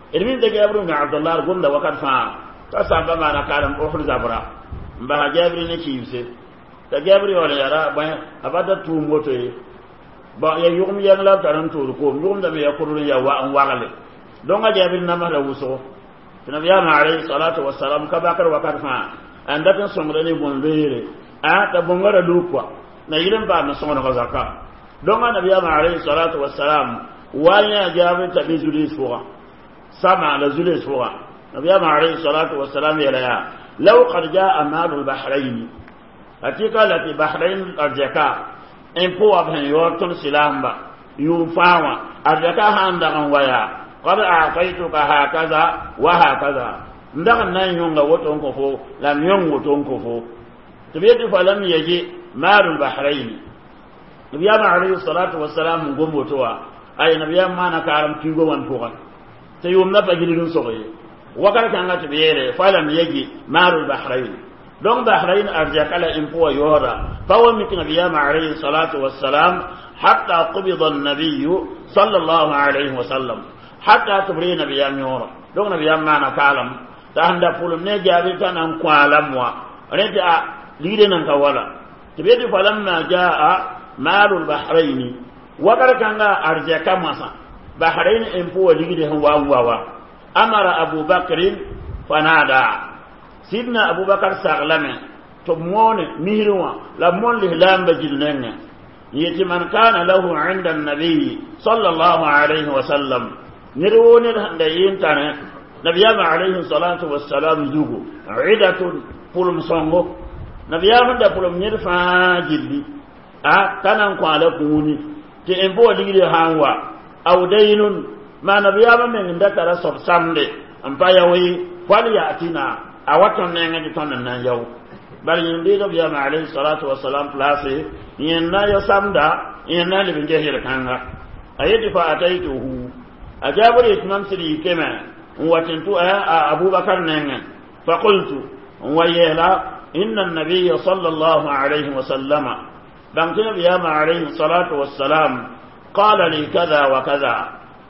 ilmin da Jabir ibn Abdullah gumda wakat fa ta samba mana karam o khul zabra mba Jabir ne kiibse ta Jabir wala yara ba abada tu moto ye ba ya yugum yang la taran tur ko yugum da me ya kurun ya wa an wagale don ga Jabir na ma la wuso nabi ya alayhi salatu wassalam ka bakar wakat fa an da tan somre ne bon bere a ta bongara lukwa na yilen ba na songo ko zakka. Donc nabi alayhi salatu wassalam wanya Jabir tabi zuli suga sama la zuli suga. Nabi alayhi salatu wassalam ya ya law qad jaa mal al-Bahrain, hakika lati Bahrain arjaka in po abhan yorton silamba yufawa arjaka handa kan waya qad a'taytuka hakaza wa hakaza ndaga nan yonga woton ko fo lam yon woton ko fo tibiyati falam yaji mal al-Bahrain. Nabiyama alayhi salatu wassalam gombotowa ay nabiyama mana karam tigo wan pogan te yum na pagilin sogoye wakar kan ga tibiyere falam yaji marul Bahrain. Donc Bahrain arjakala impo yora fawa mik nabiyama alayhi salatu wassalam hatta qubida an-nabiy sallallahu alayhi wasallam hatta tubri nabiyama yora. Donc nabiyama mana kalam ta handa pulum ne jabi tanan kwalam wa rete a lide nan ka wala tibiyati falamma jaa مال البحرين وقال كان أرجع مسا بحرين إمبو لغده هو هو أمر أبو بكر فنادى سيدنا أبو بكر سغلمه تمون مهروا لمون لهلام بجلنن يتي من كان له عند النبي صلى الله عليه وسلم نرون الهندين تاني نبي عليه الصلاة والسلام زوجو عدة فلم صنغو نبي دا فلم نرفع جلي a tanan kwala kuni ti in bo ligri hanwa aw daynun ma nabiyama men da tara sob samde am pa yawi fal yatina a wa tõnd nengẽ tɩ tõnd n na n yao bala yẽn deeg b yama alayhi salatu wasalam place yẽn na ya samda yẽn na n leb n ges yel-kãnga a yetɩ fa ataituhu a jaabr yetɩ mam sɩd yikame n wa tɩ n tʋ abubakar nengẽ fa qultu n wa yeela inna annabiya sala allahu alayhi wasallama bãng tɩ nabiyama alayhi salatu wassalam qala li kada wa kada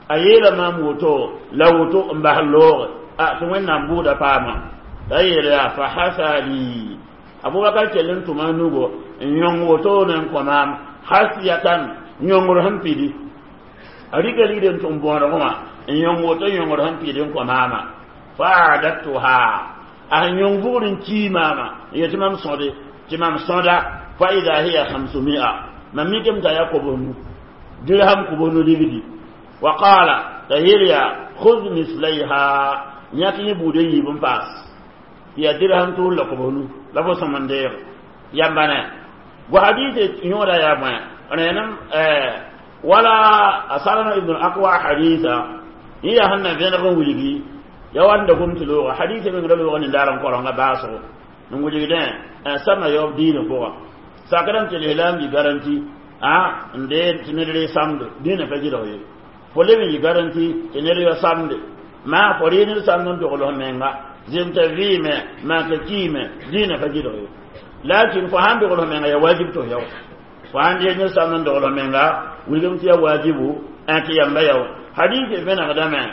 a yeela maam woto la woto n bas looge a tɩ wẽnnaam buuda paama t'a yeel yaa fa hasa li abubakar kell n tʋma a nugo n yõng wotone n kõ maam hasiyatan yõngr sẽn pidi a rɩka ligd n tʋm bõodgẽ wã n yõng woto yõngr sẽn pidi n kõ maama fa adattuha a sẽn yõng bugr n kii maama n yetɩ mam sõde tɩ mam sõda fa ida hiya hamsumia mam mikame t'a yaa kobsnu dirham kobsnu ligdi wa qala t'a yeel yaa khud mislayha yãk yẽ buud n yiib n paas tɩ yaa dirham tus la kobsnu la fo sõm n deege yamba ne go hadise yõoda yaa bõe rẽnem wala a salama ibn akwa hadisa yẽ yaa sẽn na vẽneg n wilgi ya wa da gom tɩ looga hadisa meng ra looga nindaar n korẽnga baasgo n wilgdẽ sama yaoob diinã pʋga sakrame tɩ lislaam yi garanti a n dee tɩ ned ree samde dĩinã pa gɩlg ye fo leb n yi garanti tɩ ned ya samde maa fo ree ned samd n dogl f menga zemta vɩɩme maaka kiime dĩinã pa gɩlg ye lakin fo sãn dogl f menga ya wajib tɩ f yao fo sãn dee ned samd n dogl f menga wilgem tɩ ya wajibu tɩ yamba yao hadis vẽnegdame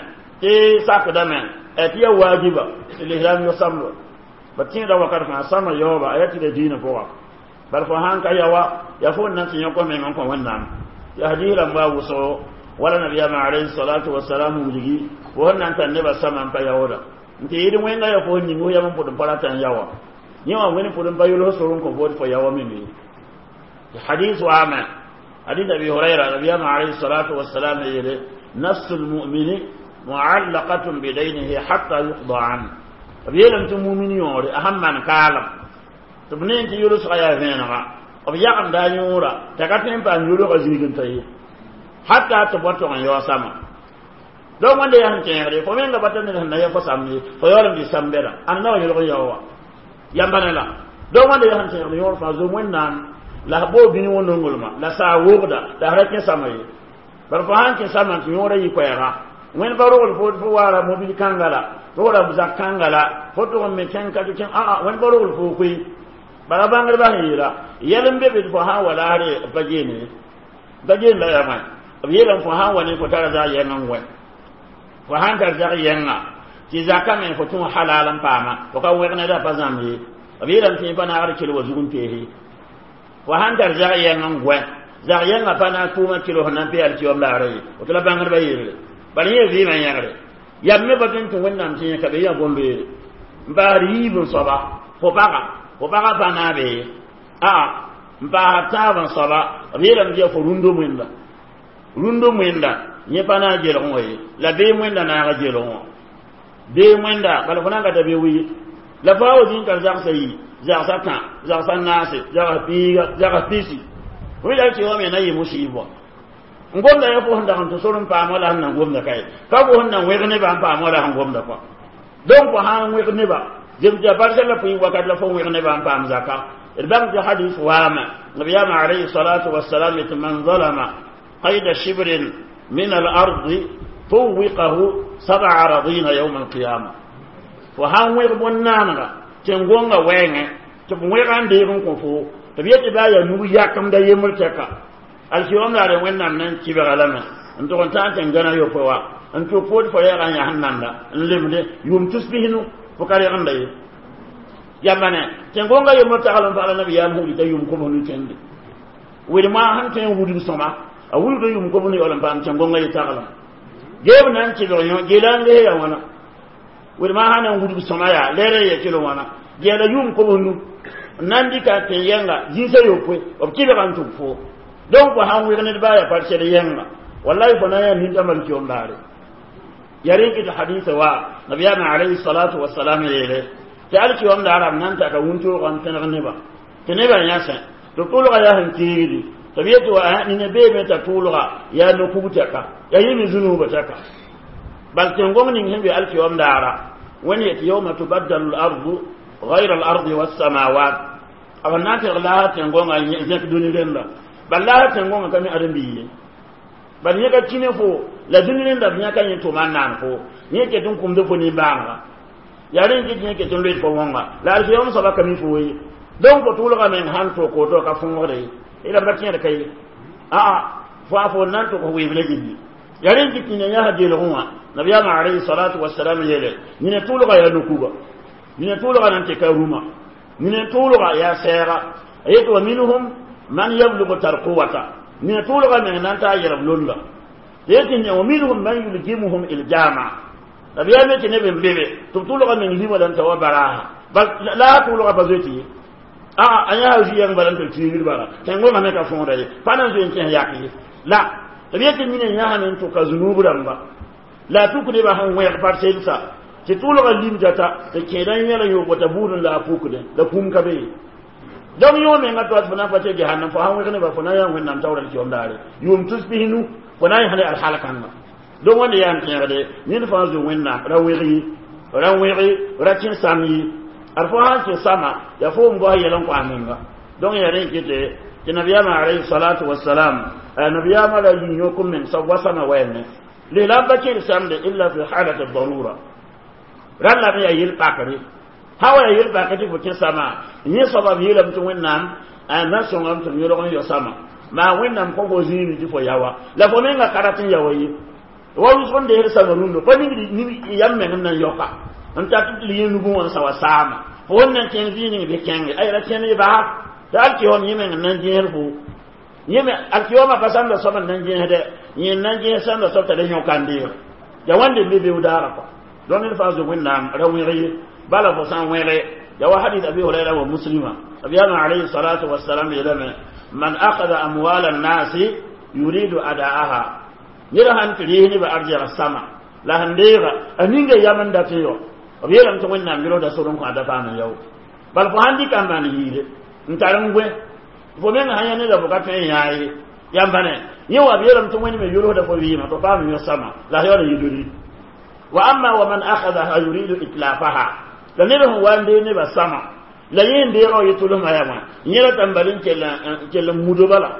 tɩ sakdame tɩ ya wajiba tɩ lislaam yo samdo ba tẽeda wakat fãa sama yaooba a yaa tɩ la diinã pʋga bal fo sãn ka yawa ya fo n na tɩ yõk meng n kõ wẽnnaam tɩ hadis rãmba wʋsgo wala nabiyama alayhi salatu wasalam wilgi fo sẽn na n tar nebã sama n pa yaooda n tɩ yɩɩd wẽnga ya fo ning f yam n pʋd n pa rata n yawa yẽ wã wẽnd pʋd n pa yols sor n kõ fo tɩ fo yawa meme hadis waame hadis abi hurayra nabiyama alayhi salatu wasalam yeele nafsu lmumini muallaqatun bidaynihi hatta yuqda an b yeelame tɩ mumin yõore a sãn maan kaalem tɩ b ne tɩ yʋlsga yaa vẽenega b yagemda a yõora t'a ka tõe n paam yʋlgã zĩig n ta ye hatta tɩ b wa tog n yao sama donc wẽnda yaa sẽn kẽegde fo menga bata ned sẽn na ya fo samd ye fo yaool n dɩ sam bɛda ãn na wa yʋlg n yao wa yamba ne la donc wẽnda yaa sẽn kẽegd yõor fãa zom wẽnnaam la f boo bĩni wã nonglmã la saa wogda la f ra kẽ sama ye bar fo sãn kẽ sama tɩ yõorã yɩ koɛɛga wẽnd pa rogl fo fo waara mobil kãnga la fo ra zak kãnga la fo tʋg n me kẽng ka tɩ kẽng aa wẽnd pa rogl fo koe bala bãngdbã sẽn yeela yɛl n be be tɩ fo sãn wa laasre pa geene pa geen la yaa bõe b yeelame fo sãn wa ne fo tara zag yɛng n wɛ fo sãn tar zag yɛnga tɩ zakã me fo tũ halal n paama fo ka wẽg neda pa zãmb ye b yeelame tɩ pa naagd kell wa zug n peese fo sãn tar zag yɛng n gɔɛ zag yɛngã pa naag tʋʋmã kɩl f na n pe alkiyom laara ye woto la bãngdbã yeelre bala yẽ vɩɩmã yẽgre yam me pa tõe n tɩ wẽnnaam tɩ yẽ ka be yaa bõn-beere n paasd yiib n soaba fo paga fo paga pa naabe ye aa n paasd tãab n soaba b yeelame tɩ yaa fo rũndo wẽnda rũndo wẽnda yẽ pa naag gelgẽ wã ye la bee wẽnda naaga gelgẽ wã bee wẽnda bala fo na n ka ta be wi la fo a wa zĩig tar zagsã yi zagsã tã zagsã naase zags piiga zags pisi fo la tɩ wame na yɩ musɩɩb wã n gomda ya fo sẽn dag n tɩ sor n paam wala sẽn na gomda ka ye ka fo sẽn na wẽg nebã n paam wala sẽn gomda kɔa donc fo sã n wẽg neba zem tɩ ya barsa la pʋɩ wakat la fo wẽg nebã n paam zaka d bãng tɩ hadis waame nabiyama alayhi salatu wasalam tɩ man zalama qayda shibrin min al-ardi tuwiqahu sab'a aradina yawm al-qiyama fo sãn wẽg bõn-naanega tẽn-gõngã wɛɛngẽ tɩ b wẽga n deeg n kõ fo tɩ b yetɩ baa yaa nug yakemda yembr tɛka alkiyom laare wẽnnaam na n kɩbga lame n tʋg n tãag tẽn gãna yopoe wa n tʋk food fo rɛɛga n yaa sẽn nanda n lemde yʋʋm tus pisnu fo ka rɛgenda ye yamba ne tẽn-gõngã yembr tagl n pagla nabiyaam sẽn wita yʋʋm kobsnu kẽnde wɩdmã sẽn tõe n wudg sõma a wudg yʋʋm kobsnu yaool n paam tẽn-gõngã ye taglem geeb na n kɩbg yõ geela n ges ya wãna wɩdmã sã na n wudg sõma yaa lɛɛr ya kɩl wãna geela yʋʋm kobsnu n na n dɩka tẽn yɛnga zĩisã yopoe b kɩbga n tʋg fo donc fo sãn wɩg ned baa ya par sɛd yɛnga wallahi fo na n yaa nintãmb alkiyom daare ya rẽn tɩ hadisa wa nabiyaamã alayhi salatu wasalam yeele tɩ alkiyom daara b na n taka wũntoogã n tẽneg nebã tɩ nebã yãsẽ tɩ tʋlga yaa sẽn kiigdi tɩ b yetɩ wa nina beeme t'a tʋʋlga yaa no-kug tɛka yaa yɩ me zũnuubã tɛka bal tẽn-gõng ning sẽn be alkiyom daara Wẽnd yet yawma tubaddalu al-ardu ghayra al-ardi was-samawat b na n teg laasã tẽn-gõngã zẽk dũni rẽnda bal laasã tẽn-gõngã ka mi ãdem-biig ye bal yẽ ka kĩ ne fo la dũni rẽnda b yãka yẽ tʋma n naan fo yẽ ket n kũmd fo nimbãanega yaa rẽ n kɩt yẽ ket n loeed fo wõnga la alkiyom soaba ka mi fo ye donc fo tʋʋlga meng sãn tok woto ka fõogde ye rãmba kẽed ka ye aa fo a fo n na n tʋg f weeblã gilli yaa rẽ n kɩt tɩ yãs geelgẽ wã nabiyaamã alayhi salatu wasalam yeele nina tʋʋlga yaa nokuga nina tʋʋlga nan tɩ ka rũmã nina tʋʋlga yaa sɛɛga a yet wa minhum man yablugu tarquwata nina tʋʋlga meng nan t'a yɛrb londa yetɩ ne wa minhum man yuljimuhum iljama nabiyaam yetɩ neb n be be tɩ b tʋʋlga meng lima lan ta wa baraasa bal la a tʋʋlga pa zoe tɩ ye aa a yãa zuyɛng bala n tɩ tiigr bala tẽn-gõngã me ka fõoda ye pa na n zoe n kẽs yak ye la b yetɩ nina yãsame n tʋka zunub rãmba la a tuk nebã sẽn wẽg par selsa tɩ tʋʋlga limda ta tɩ kẽeda yẽl n yoog t'a buud n la a pukdẽ la kũm ka be ye donc yõ menga toa tɩ fo na n pa tɩ jahannam fo sãn wẽg nebã fo na n yaa wẽnnaam taoor alkiyom daare yʋʋm tus pisnu fo na n yãsd alhalkãnga donc wẽnde yaa n tẽegde ned fãa zo wẽnnaam ra wẽg ye ra wẽge ra kẽ sam ye ad fo sãn kẽ sama yaa fo n bos yɛl n kõ a menga donc yaa rẽ kɩte tɩ nabiyaamã alayhi salatu wasalam nabiyaamã ra yĩ yõk n meng soab wa sama wɛɛne lislaam pa kẽed samde illa fi halati darura rãn me yaa yel-pakre sã wa yaa yel-pakr tɩ fo kẽ sama yẽ soaba b yeelame tɩ wẽnnaam na sõngame tɩ b yõlg n yao sama maa wẽnnaam kõ fo zĩigẽ tɩ fo yawa la fo menga ka rat n yaoa ye wa wʋsg n deesd sama rũndã pa ningd yam meng n na n yaoka n tar tɩ tɩ yẽ nugẽ wã n sa wa saama fo wẽnd na n kẽng zĩig ning bɩ kẽnge ay ra kẽnd y baa tɩ alkiyom yẽ meng n na n gẽesd fo yẽ me alkiyomã pa samda soab n na n gẽesdɛ yẽ n na n gẽes samda soab t'a le yõka n deeg ya wãnde n be beoog daagã kɔa donc ned fãa zo wẽnnaam ra wẽg ye bala fo sã n wẽge ya wa hadith abi hurayra wa muslima nabiyama alayhi salatu wassalam yeelame man akhadha amwal annasi yuridu ada'aha ned sãn tɩ rɩɩs nebã arjɛg sama la sẽn deega a ninga yam n dat n yao b yeelame tɩ wẽnnaam yʋlsda sor n kõ a da paam n yao bal fo sãn dɩka n maan yiide n tar n gõe fo meng sã yã neda fo ka tõe n yãa ye yãmba ne yẽ wa b yeelame tɩ wẽnd me yʋlsda fo vɩɩmã tɩ paam n yõ sama la a yaool n yidori wa amma wa man akhadaha yuridu itlafaha la ned sẽn wa n deeg nebã sama la yẽ n deegã wa yetʋlsmã yaa wã yẽ ra tãn bal n kell n mudo bala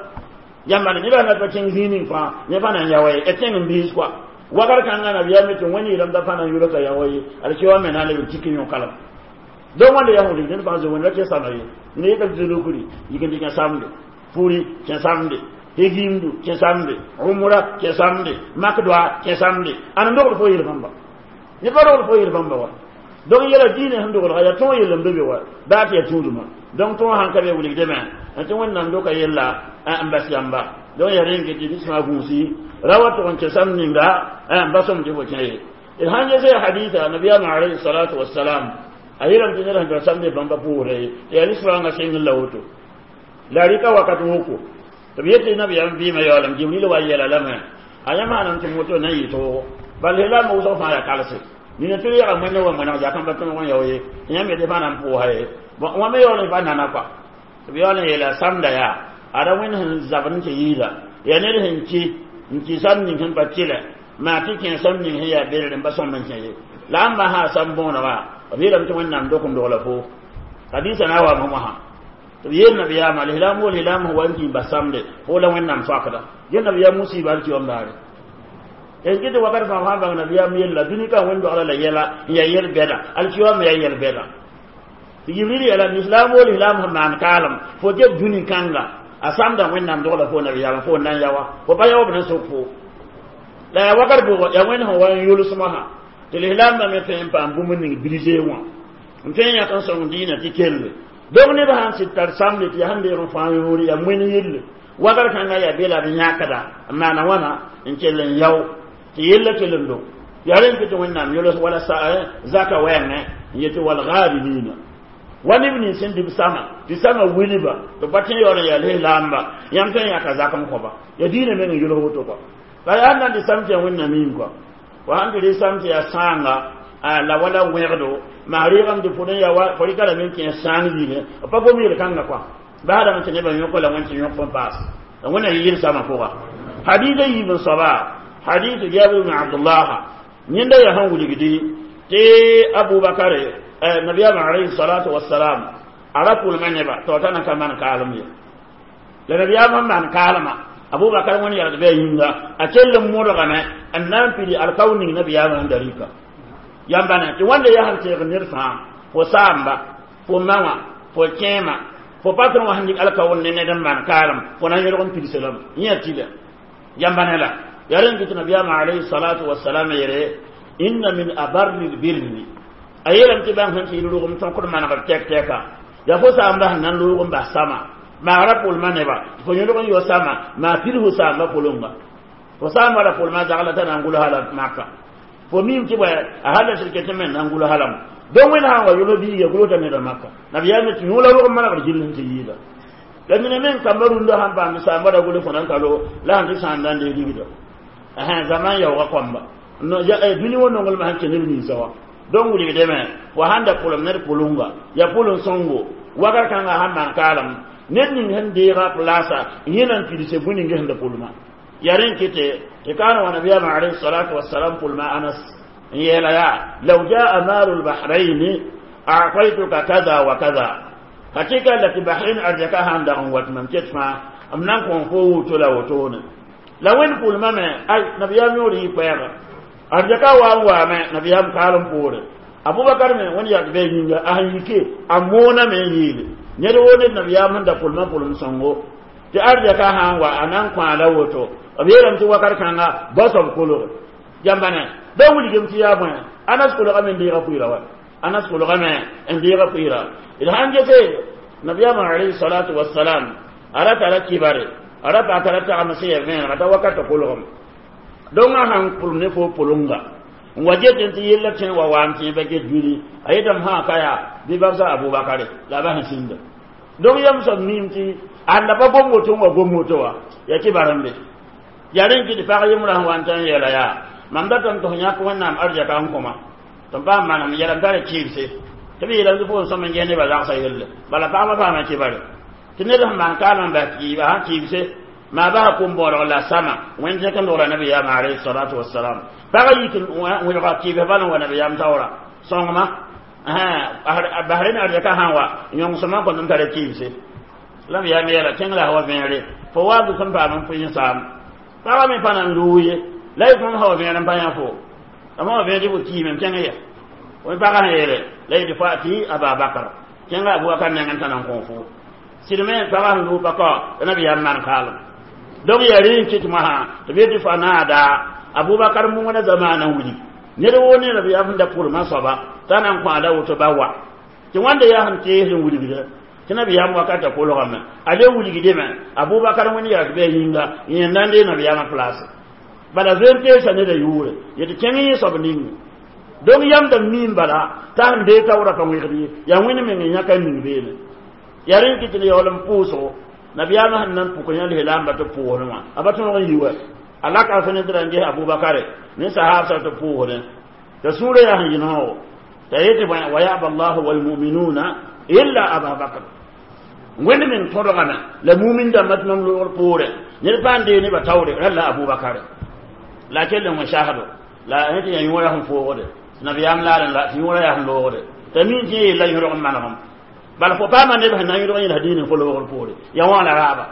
yãmba ne nebã na pa kẽng zĩig ning fãa yẽ pa na n yaoa ye tẽng n biis kɔa wakar kãngã nabiyaam tɩ wẽnd yeelame t'a pa na n yʋlsa yaoa ye alkiwa me na n leb n tik n yõ-kalem donc wãnda yaa wʋlg ned fãa zo wẽnd ra kẽ sama ye ne yeta zulukri yik n tɩ kẽ samde puri kẽ samde hegimdu kẽ samde umra kẽ samde mak doa kẽ samde ãn n dogd fo yel bãmba ne pa dogd fo yel bãmba wa donc yɛla diinɛ sẽn dogelga yaa tõog yell n be be wa baa tɩ yaa tũudmã donc tõog sãn ka be wilgdame n tɩ wẽnnaam doka yella n bas yamba donc yaa rẽ n ket tɩ sẽma gũusi ra wa tʋg n kẽ sam ninga n ba sõm tɩ fo kẽ ye d sãn ges hadisa nabiyaamã alayhi salatu wassalam a yeelame tɩ ned sẽn tar samde bãmba pʋʋsda ye tɩ yaa lisrãngã sẽng la woto la rɩka wakat woko tɩ b yetɩ nabiyaam vɩɩmã yaoolem jibril wa yɛla lame a yã maanam tɩ moto na n yɩ toogo bal lislaamã wʋsg fãa yaa kalse nina tɩ yaga wẽnde wa wẽneg zakã pa tõog n yao ye yãmb yetɩ fãa na n pʋʋsa ye wã me yaool n pa nana kɔa tɩ b yaool n yeela samda yaa ada wẽnd sẽn zabd n tɩ yɩɩda yaa ned sẽn ki n kɩ sam ning sẽn pa tɩlɛ maa tɩ kẽ sam ning sẽn yaa belr n pa sõmb n kẽ ye la ãmba sã sam bõonega b yeelame tɩ wẽnnaam dok n dogla fo hadisa na wa wãsã tɩ b yeel nabiyaamã lislaam wo lislaam sẽn wa n kĩ bas samde fo la wẽnnaam soakda yel nabiyaam musiiba alkiyom daare en kɩ tɩ wakat fãa fãa bãng nabiyaam yella dũni ka wẽnd dogla la yɛla n yaa yɛl bɛda alkiyom yaa yɛl bɛda tɩ jibril yeela lislaam wo lislaam sẽn maan kaalem fo get dũni kãnga a samda wẽnnaam dogla fo nabiyaamã fo na n yaoa fo pa yaob na sok fo la yaa wakat bʋgɔ yaa wẽnd sẽn wa n yʋlsmã tɩ lislaambã me tõe n paam bũmb ning brisee wã n tõe n yãk n sõng dĩinã tɩ kelle donc neb sãn sɩd tar samde tɩ yaa sẽn deeg n fãa yõore yaa wẽn yelle wakat kãngã yaa bela b yãkda n maana wãna n kell n yao tɩ yella kell n do yaa rẽn kɩ tɩ wẽnnaam yols wala zaka wɛɛngẽ n yetɩ walgaarimina wa neb nins sẽn dɩ b sama tɩ sama wilba tɩ pa tẽ yaool n yaa lislaamba yãmb tõe n yãka zak n kõba ya diinã meng n yʋls woto kɔa la yaa nan tɩ sam tɩ yaa wẽnnaam yĩng kɔa wa sãn tɩ rɩ sam tɩ yaa sãanga la wala wẽgdo maa rɩɩgame tɩ fo n yaa fo rɩka lame n kẽ sãang yĩngẽ b pa gom yel-kãngã kɔa baadame tɩ nebã yõk la wẽnd tɩ yõk fõn paas la wẽnna yɩ yel-samã pʋga hadisa yiib n soaba hadis jabir ibn abdullah yẽnda yaa sẽn wilgdi Tɩ Abubakar, nabiyaamã alayhi salatu wassalam, a ra pʋlmã nebã tɩ t'a na ka maan kaalem ye. La nabiyaam sẽn maan kaalmã, Abubakar wẽnd yalg bɩ a yĩnga a kell n modgame n na n pidi alkao ning nabiyaamã sẽn da rɩka. Yãmba ne tɩ wãnda yaa sẽn teeg ned fãa, fo saamba, fo ma wã, fo kẽema, fo patron wã sẽn dɩk alkao ne ned n maan kaalem, fo na n yõlg n pidsã lame yẽ tɩlɛ. Yãmba ne la yaa rẽn kɩ tɩ nabiyaamã alayhi salatu wassalam yeele: inna min abarri lbirri. A yeelame tɩ bãng sẽn tɩ yɩl rʋgem tõkd manegr tɛk tɛka yaa fo saamba sẽn na n loog n bas sama magra pʋlmã nebã, tɩ fo yõlg n yo sama maa pid fo saamba pʋlʋnga. Fo saamba ra pʋlmã zagla t'a na n gʋls hala maka, fo mim tɩ bõe a hal sɩd ket me na n gʋls halame. Donc wẽnd sã n wa yʋls biiga gʋlsda neda maka, nabiyaam tɩ yõola rog n manegr gill sẽn tɩ yɩɩda. La mina meng kamba rũndã sãn paam saamba ra gʋls fo na n ka lo la sẽn tɩ sãanda n dee ligda zaman yaooga kõmba dũni wã nonglmã sẽn kẽ neb ninsã wã. Donc wilgdame fo sãn da pʋlem ned pʋlʋnga ya pʋlem sõngo wakat kãngã sãn maan kaalem ned ning sẽn deega plaasa yẽ na n pidse bũe ning sẽn da pʋlmã. Ya rẽn kɩte tɩ kaan wa nabiyaamã alayhi salatu wassalam pʋlmã Anas n yeela yaa: law jaa maalu lbahraini a'taytuka kaza wa kaza. Hakika la tɩ Bahrain arzɛka sãn dag n wat mam ket fãa m na n kõ fo woto la wotone. La wẽnd pʋlmã me ay nabiyaam yõor yɩ koɛɛga arzɛka wa n waame nabiyaam kaalem poore. Abubakar me wẽnd yak bɩ a yĩnga a sẽn yike a mooname n yeele ned woo ned nabiyaam sẽn da pʋlmã pʋlem sõngo tɩ arzɛka sã n wa a na n kõ a la woto. B yeelame tɩ wakat kãnga basoab kolge yãmba ne da wilgem tɩ yaa bõe Anas kolgame n deega pʋɩra wa Anas kolgame n deega pʋɩra. D sãn gese nabiyaamã alayhi salatu wassalam a ra tara kibare, a ra pa tara tagem sẽn ya vẽenega t'a wakatã kolgem. Donc a sãn pʋlem ne fo pʋlʋnga n wa get tɩ yella tẽ wa waam tẽ ba get dũni a yetame sã ka yaa bɩ babsa Abubakare la ba sẽn sĩnda. Donc yam soab miim tɩ anda pa gom woto n wa gom woto wa ya kibar n be. Yaa rẽn kɩ tɩ pag yembrã sẽn wa n tã n yeela yaa mam datame tɩ f yãk Wẽnnaam arzɛka n kõma tɩ m paam manem yɛlm tara kɩɩbse tɩ b yeelame tɩ fo n sõm n ges nebã zagsã yelle. Bala pagba paama kibare tɩ ned sẽn maan kaalem n bas kɩɩba sãn kɩɩbse maa basa kom-bõodg la sama wẽnd zẽk n dogra nabiyaamã alayhi salatu wassalam. Pagã yik wẽlga kɩɩbs bal n wa nabiyaam taoora sõngma Bahrain arzɛka sã n wa yõngsẽmã n kõt n tara kɩɩbse la b yaam yeela kẽng la wa vẽere fo waab sẽn paam n pʋɩ n saam pagã me pa na n loog ye la y tõnd sã wa vẽer n pa yã fo ama wa vẽer tɩ fo kiime m kẽng ya wẽn pagã sẽn yeele la yetɩ fo tɩ Ababakar kẽnga Abubakar nengẽ t'a na n kõ fo sɩd me pagã sẽn loog pa kao tɩ nabiyaam maan kaalem. Donc yaa rẽ n kɩt mosã tɩ b yetɩ fa naada Abubakar mongna zamaanã wilg ned woo ne nabiyaam sẽn da pʋlmã soaba t'a na n kõ a la woto ba wa tɩ wãnda yaa sẽn tees n wilgda tɩ nabiyaam wakatã kolgame a le wilgdme Abubakar wẽnd yak bɩ a yĩnga yẽ na n dee nabiyaamã place bala zoe n teesa neda yʋʋre yetɩ kẽng yẽ soab ning. Donc yãmb da miim bala t'a sẽn dee taoora pa wẽgd ye yaa wẽnd meng n yãka n ning beene. Yaa rẽn kɩ tɩ d yaool n pʋʋsgo nabiyaamã sẽn na n pʋk yã lislaambã tɩ pʋʋsdẽ wã a pa tõog n yi wa a laka fẽ ne tɩ ra n ges Abubakare ne sahaabsã tɩ pʋʋsdẽ t'a sũurã yaa sẽn yɩ noogo t'a yetɩ bõe wa yaba llahu walmuminuna illa Ababakr. Wẽnd meng tõdgame la mumin dãmbã tɩ mam loogr poorẽ ned pa n dee nebã taoore ralla Abubakare la kell n wẽ sasdo la tɩ yaa yõora sẽn foogde nabiyaam laaren la tɩ yõora yaa sẽn loogde t'a min tɩ yella yõrg n manegem bala fo paama neb sẽn na n yõrg n yẽls diinẽ fo loogr poore ya wã la raaba.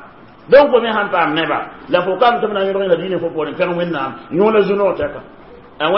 Donc fo me sãn paam neba la fo kam tɩ b na n yõrg n yẽls diinẽ fo poorẽ pẽg Wẽnnaam yõola zu-noog tɛka wẽna.